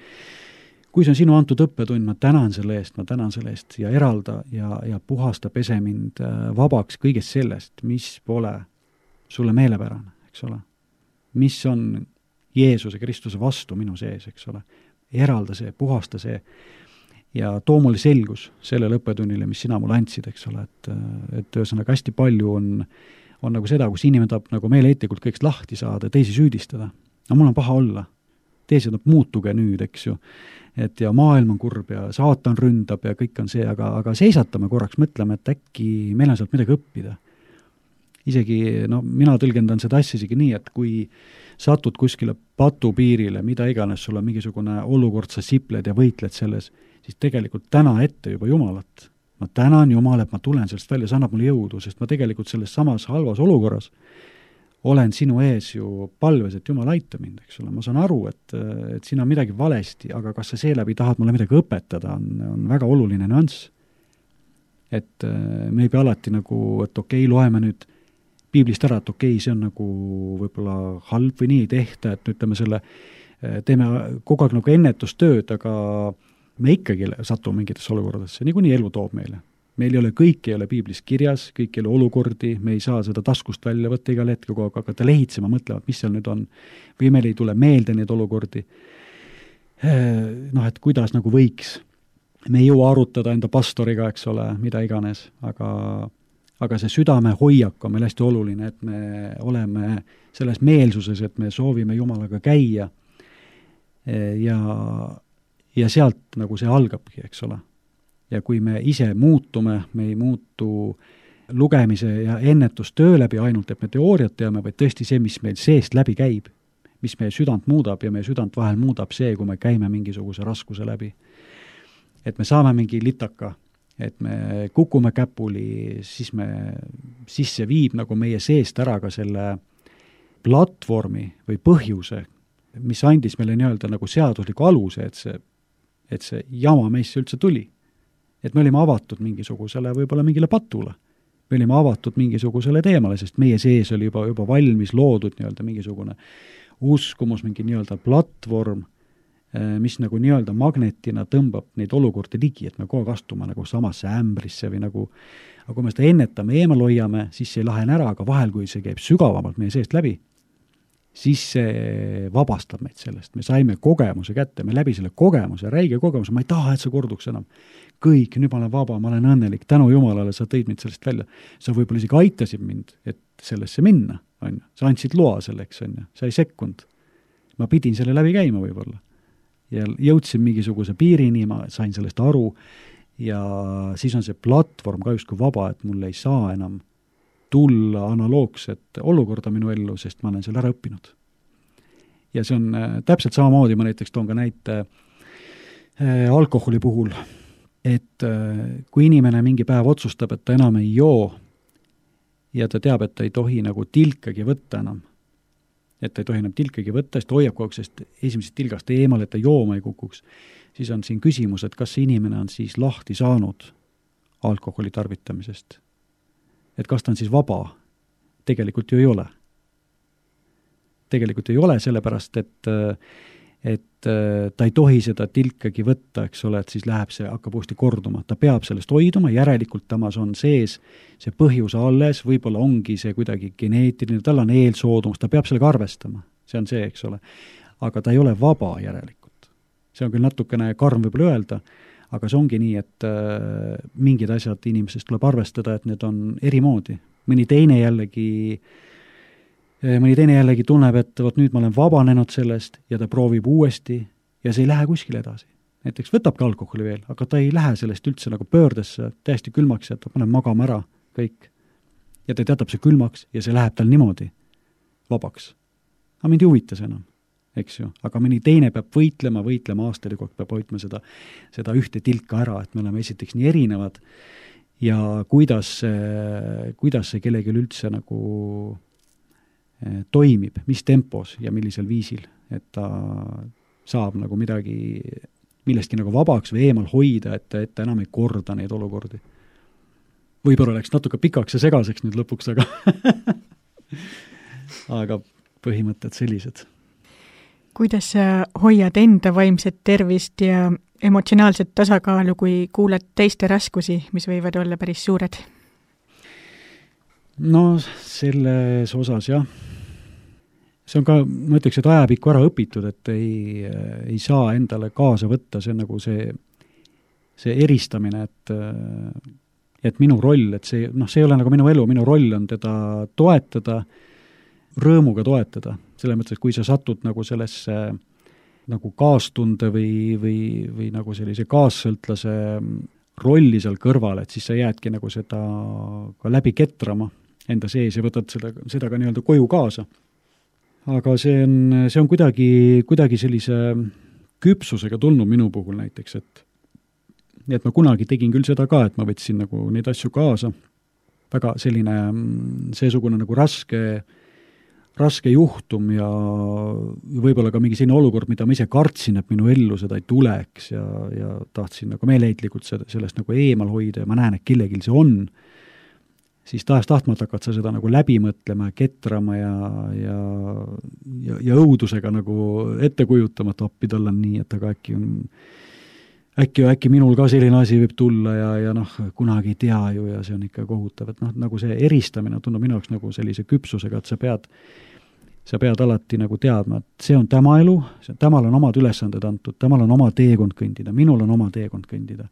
S3: see on sinu antud õppetund, ma tänan selle eest ja eralda ja puhasta pese mind vabaks kõigest sellest, mis pole sulle meelepärane, eks ole. Mis on Jeesuse Kristuse vastu minu sees, eks ole. Eralda see, puhasta see. ja too mulle selgus sellele õppetunnile, mis sina mulle andsid, eks ole, et ühesõnaga hästi palju on nagu seda, kus inimene tahab nagu meeleheitlikult kõigest lahti saada, teisi süüdistada. No mul on paha olla. Teised muutuge nüüd, eks ju. Et ja maailm on kurb ja saatan ründab ja kõik on see, aga seisatame korraks, mõtleme, et äkki meil on sealt midagi õppida. Isegi, mina tõlgendan seda asja isegi nii, et kui satud kuskile patupiirile, mida iganes, sul on mingisugune olukord, sa sipled ja võitled selles, siis tegelikult täna ette juba Jumalat. Ma tänan Jumal, et ma tulen sellest välja, see annab mulle jõudu, sest ma tegelikult selles samas halvas olukorras olen sinu ees ju palves, et Jumal aita mind, eks ole. Ma saan aru, et siin on midagi valesti, aga kas sa seeläbi tahad mulle midagi õpetada, on väga oluline nüanss. Et me ei pea alati nagu, et okei, loeme nüüd piiblist ära, et okei, see on nagu võib-olla halb või nii ei tehta, et ütleme selle, teeme kogu aeg nagu ennetustööd, aga me ikkagi satume mingitesse olukordadesse, niikuinii elu toob meile. Meil ei ole, kõik ei ole piiblis kirjas, kõik ei ole olukordi, me ei saa seda taskust välja võtta igal hetkel, kogu aeg hakata lehitsema, mõtlema, mis seal nüüd on, või meil ei tule meelde neid olukordi. Et kuidas nagu võiks. Me ei jõua arutada enda pastoriga, eks ole, mida iganes, aga see südame hoiak on meil hästi oluline, et me oleme selles meelsuses, et me soovime Jumalaga käia ja sealt nagu see algabki, eks ole. Ja kui me ise muutume, me ei muutu lugemise ja ennetustöö läbi ainult, et me teooriat teame, vaid tõesti see, mis meil seest läbi käib, mis meie südant muudab ja meie südant vahel muudab see, kui me käime mingisuguse raskuse läbi. Et me saame mingi litaka, et me kukume käpuli, siis see viib nagu meie seest ära ka selle platvormi või põhjuse, mis andis meile nii-öelda nagu seadusliku aluse, et see jama meisse üldse tuli. Et me olime avatud mingisugusele, võib-olla mingile patule. Me olime avatud mingisugusele teemale, sest meie sees oli juba valmis loodud nii-öelda mingisugune uskumus, mingi nii-öelda platvorm, mis nagu nii-öelda magnetina tõmbab neid olukordi ligi, et me kogu aeg astume nagu samasse ämbrisse või nagu, aga kui me seda ennetame, eemal hoiame, siis see ei lahene ära, aga vahel, kui see käib sügavamalt meie seest läbi, siis see vabastab meid sellest. Me saime kogemuse kätte, me läbi selle kogemuse, räige kogemuse, ma ei taha, et see korduks enam. Kõik, nüüd ma olen vaba, ma olen õnnelik, tänu Jumalale, sa tõid mind sellest välja. Sa võib-olla isegi aitasid mind, et sellesse minna, on ju. Sa andsid loa selleks, on ju. Sa ei sekkunud. Ma pidin selle läbi käima võib-olla. Ja jõudsin mingisuguse piirini, ma sain sellest aru ja siis on see platvorm ka justkui vaba, et mul ei saa enam tulla analoogset olukorda minu ellu, sest ma olen selle ära õppinud. Ja see on täpselt samamoodi, ma näiteks toon ka näite alkoholi puhul, et kui inimene mingi päev otsustab, et ta enam ei joo ja ta teab, et ta ei tohi nagu tilkagi võtta enam, et ta ei tohi enam tilkagi võtta, sest hoiab kogu aeg, sest esimesest tilgast eemal, et ta jooma ei kukuks, siis on siin küsimus, et kas see inimene on siis lahti saanud alkoholi tarvitamisest. Et kas ta on siis vaba? Tegelikult ju ei ole. Tegelikult ei ole, sellepärast, et ta ei tohi seda tilkagi võtta, eks ole, et siis läheb see, hakkab uuesti korduma. Ta peab sellest hoiduma, järelikult tamas on sees see põhjus alles, võib-olla ongi see kuidagi geneetiline, tal on eelsoodumus, ta peab sellega arvestama. See on see, eks ole. Aga ta ei ole vaba järelikult. See on küll natukene karm võib-olla öelda, aga see ongi nii, et mingid asjad inimesest tuleb arvestada, et need on erimoodi. Mõni teine jällegi tunneb, et võt nüüd ma olen vabanenud sellest ja ta proovib uuesti ja see ei lähe kuskile edasi. Näiteks võtabki alkoholi veel, aga ta ei lähe sellest üldse nagu pöördesse, täiesti külmaks, et ta paneb magama ära kõik. Ja ta teatab see külmaks ja see läheb tal niimoodi vabaks. Aga mind ei huvita see enam. Eks ju, aga mõni teine peab võitlema aastalikog, peab hoidma seda ühte tilka ära, et me oleme esiteks nii erinevad ja kuidas see kellelgi üldse nagu toimib, mis tempos ja millisel viisil, et ta saab nagu millestki nagu vabaks või eemal hoida, et ta enam ei korda neid olukordi. Võib-olla läks natuke pikaks ja segaseks nüüd lõpuks, aga põhimõtted sellised.
S2: Kuidas sa hoiad enda vaimset tervist ja emotsionaalset tasakaalu, kui kuuled teiste raskusi, mis võivad olla päris suured?
S3: No selles osas jah. See on ka, ma ütleks, et ajapikku ära õpitud, et ei saa endale kaasa võtta, see on nagu see see eristamine, et minu roll, et see ei ole nagu minu elu, minu roll on teda toetada, rõõmuga toetada, selles mõttes, et kui sa satud nagu sellesse nagu kaastunde või nagu sellise kaassõltlase rolli seal kõrval, et siis sa jäädki nagu seda ka läbi ketrama enda sees ja võtad seda ka nii-öelda koju kaasa. Aga see on kuidagi sellise küpsusega tulnud minu puhul näiteks, et ma kunagi tegin küll seda ka, et ma võtsin nagu neid asju kaasa, väga selline seesugune nagu raske juhtum ja võib-olla ka mingi selline olukord, mida ma ise kartsin, et minu ellu seda ei tuleks ja tahtsin nagu meeleheitlikult sellest nagu eemal hoida ja ma näen, et kellelgi see on, siis tahes-tahtmata hakkad sa seda nagu läbi mõtlema ja ketrama ja õudusega nagu ette kujutama, et appi tal on nii, et aga äkki minul ka selline asi võib tulla ja kunagi ei tea ju ja see on ikka kohutav, et nagu see eristamine tundub minu jaoks nagu sellise küpsusega, et sa pead alati nagu teadma, et see on tema elu, temal on omad ülesanded antud, temal on oma teekond kõndida, minul on oma teekond kõndida.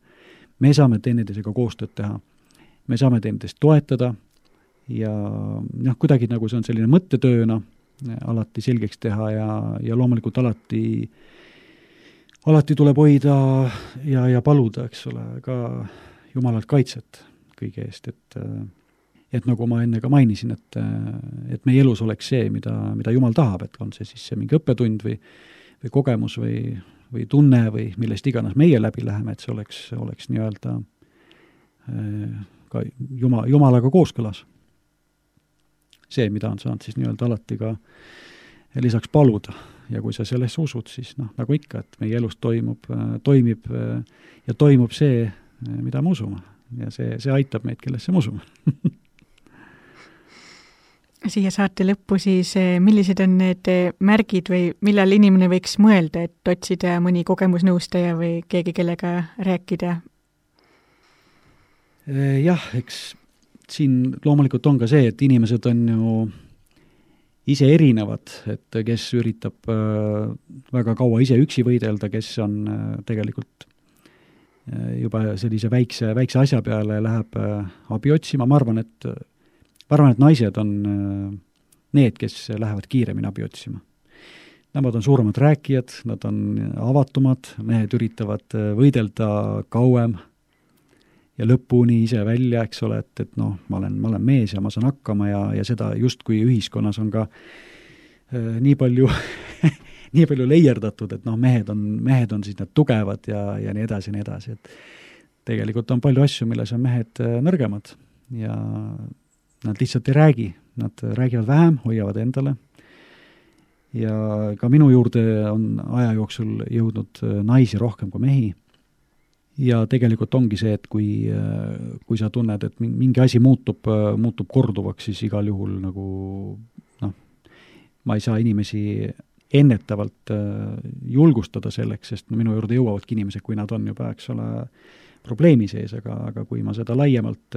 S3: Me saame teineteisega koostööd teha, me saame teineteist toetada ja kuidagi nagu see on selline mõttetööna alati selgeks teha ja loomulikult alati tuleb hoida ja paluda, eks ole, ka Jumalalt kaitset kõige eest, et nagu ma enne ka mainisin, et meie elus oleks see, mida Jumal tahab, et on see siis see mingi õppetund või kogemus või tunne või millest iganes meie läbi läheme, et see oleks nii-öelda ka Jumalaga kooskõlas. See, mida on saanud siis nii-öelda alati ka lisaks paluda. Ja kui sa sellesse usud, siis nagu ikka, et meie elus toimib ja toimub see, mida me usume. Ja see aitab meid, kellesse me usume.
S2: Siia saate lõppu siis, millised on need märgid või millal inimene võiks mõelda, et otsida mõni kogemusnõustaja või keegi, kellega rääkida?
S3: Jah, eks siin loomulikult on ka see, et inimesed on ju ise erinevad, et kes üritab väga kaua ise üksi võidelda, kes on tegelikult juba sellise väikse asja peale läheb abi otsima. Ma arvan, et naised on need, kes lähevad kiiremini abi otsima. Nemad on suuremad rääkijad, nad on avatumad, mehed üritavad võidelda kauem ja lõpuni ise välja, eks ole, et ma olen mees ja ma saan hakkama ja seda justkui ühiskonnas on ka nii palju nii palju leierdatud, et mehed on siis need tugevad ja nii edasi, et tegelikult on palju asju, milles on mehed nõrgemad ja nad lihtsalt ei räägi, nad räägivad vähem, hoiavad endale ja ka minu juurde on aja jooksul jõudnud naisi rohkem kui mehi. Ja tegelikult ongi see, et kui sa tunned, et mingi asi muutub korduvaks, siis igal juhul nagu ma ei saa inimesi ennetavalt julgustada selleks, sest minu juurde jõuavadki inimesed, kui nad on juba, eks ole, probleemi sees, aga kui ma seda laiemalt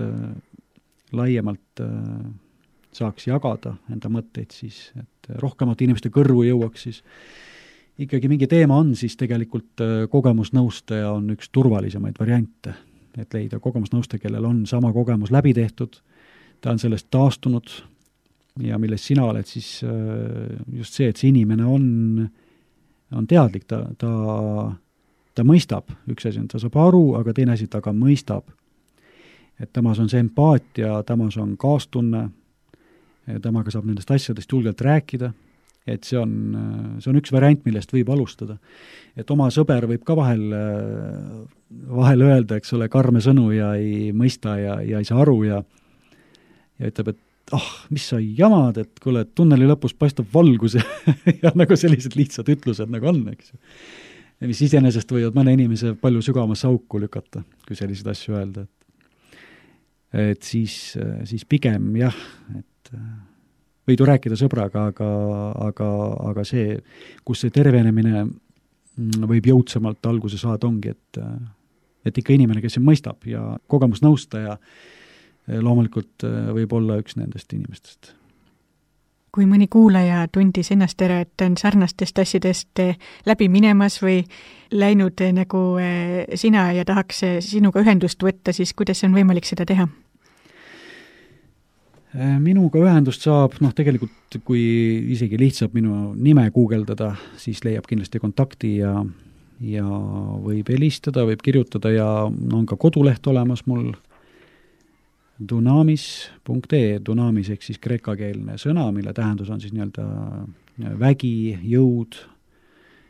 S3: saaks jagada enda mõtteid, siis et rohkemate inimeste kõrvu jõuaks, siis ikkagi mingi teema on, siis tegelikult kogemusnõustaja on üks turvalisemaid variante, et leida kogemusnõustaja, kellel on sama kogemus läbi tehtud, ta on sellest taastunud ja millest sina oled siis just see, et see inimene on teadlik, ta mõistab, üks asi on, ta saab aru, aga teine asi, ta ka mõistab, et temas on see empaatia, temas on kaastunne, temaga saab nendest asjadest julgelt rääkida, et see on üks variant, millest võib alustada. Et oma sõber võib ka vahel öelda, eks ole, karme sõnu ja ei mõista ja ei saa aru ja ütleb, et mis sa jamad, et kuule, tunneli lõpus paistab valgus ja nagu sellised lihtsad ütlused nagu on, eks. Ja mis iseenesest võivad mõne inimese palju sügavasse auku lükata, kui selliseid asju öelda. Et siis pigem jah, et võid ju rääkida sõbraga, aga see, kus see tervenemine võib jõudsamalt alguse saada, ongi, et ikka inimene, kes mõistab ja kogemusnõustaja loomulikult võib olla üks nendest inimestest.
S2: kui mõni kuulaja tundis ennast ära, et on sarnastest asjadest läbi minemas või läinud nagu sina ja tahaks sinuga ühendust võtta, siis kuidas on võimalik seda teha?
S3: Minuga ühendust saab, tegelikult kui isegi lihtsalt minu nime guugeldada, siis leiab kindlasti kontakti ja võib helistada, võib kirjutada ja on ka koduleht olemas mul dunamis.ee, dunamis ehk siis kreekakeelne sõna, mille tähendus on siis nii-öelda vägi, jõud,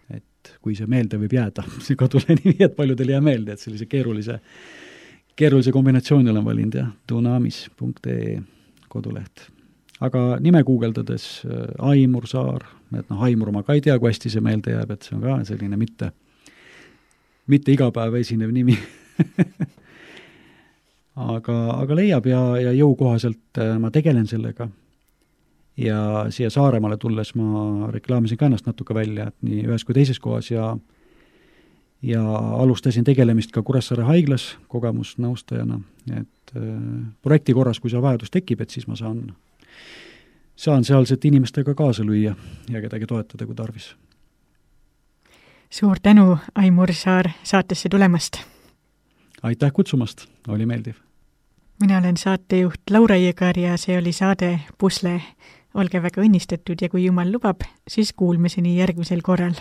S3: et kui see meelde võib jääda, see kodule nimi, et paljudel jää meelde, et sellise keerulise kombinatsiooni olen valinud, jah, dunamis.ee koduleht. Aga nime guugeldades Aimur Saar, et Aimur ma ka ei tea, kui hästi see meelde jääb, et see on ka selline mitte igapäev esinev nimi. Aga leiab ja jõukohaselt ma tegelen sellega. Ja siia Saaremaale tulles ma reklaamisin ka ennast natuke välja, et nii ühes kui teises kohas ja alustasin tegelemist ka Kuressaare haiglas kogemusnõustajana, et projekti korras, kui see vajadus tekib, et siis ma saan sealsete inimestega kaasa lüüa ja kedagi toetada, kui tarvis.
S2: Suur tänu, Aimur Saar, saatesse tulemast!
S3: Aitäh kutsumast, oli meeldiv.
S2: Mina olen saatejuht Laura Jõgar ja see oli saade Pusle. Olge väga õnnistatud ja kui Jumal lubab, siis kuulmiseni järgmisel korral.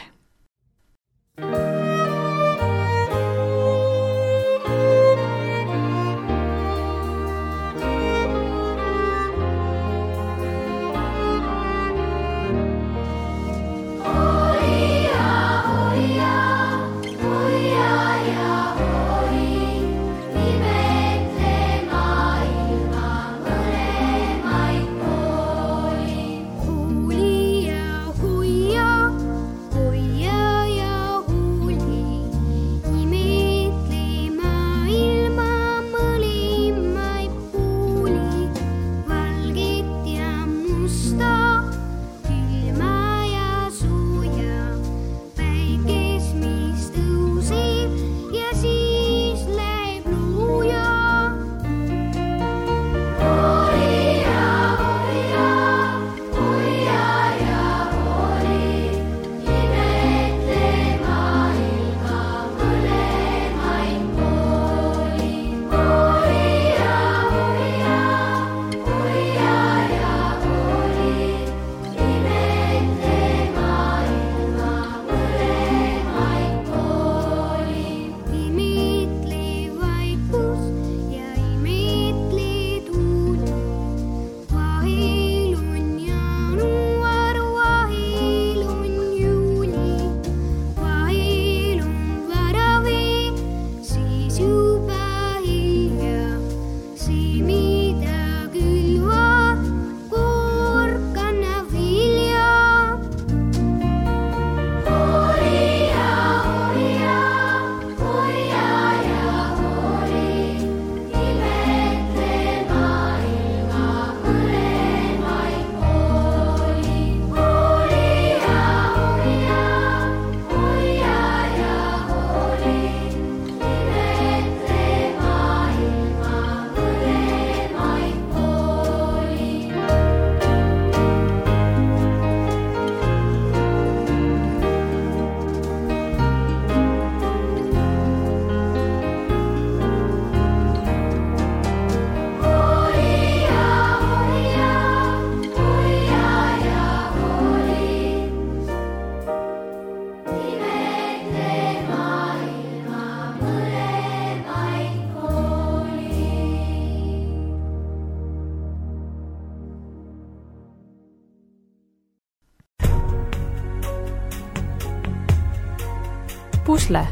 S1: Pusle.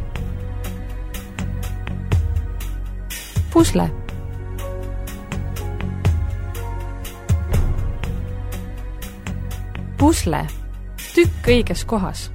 S1: Pusle. Pusle. Tükk õiges kohas.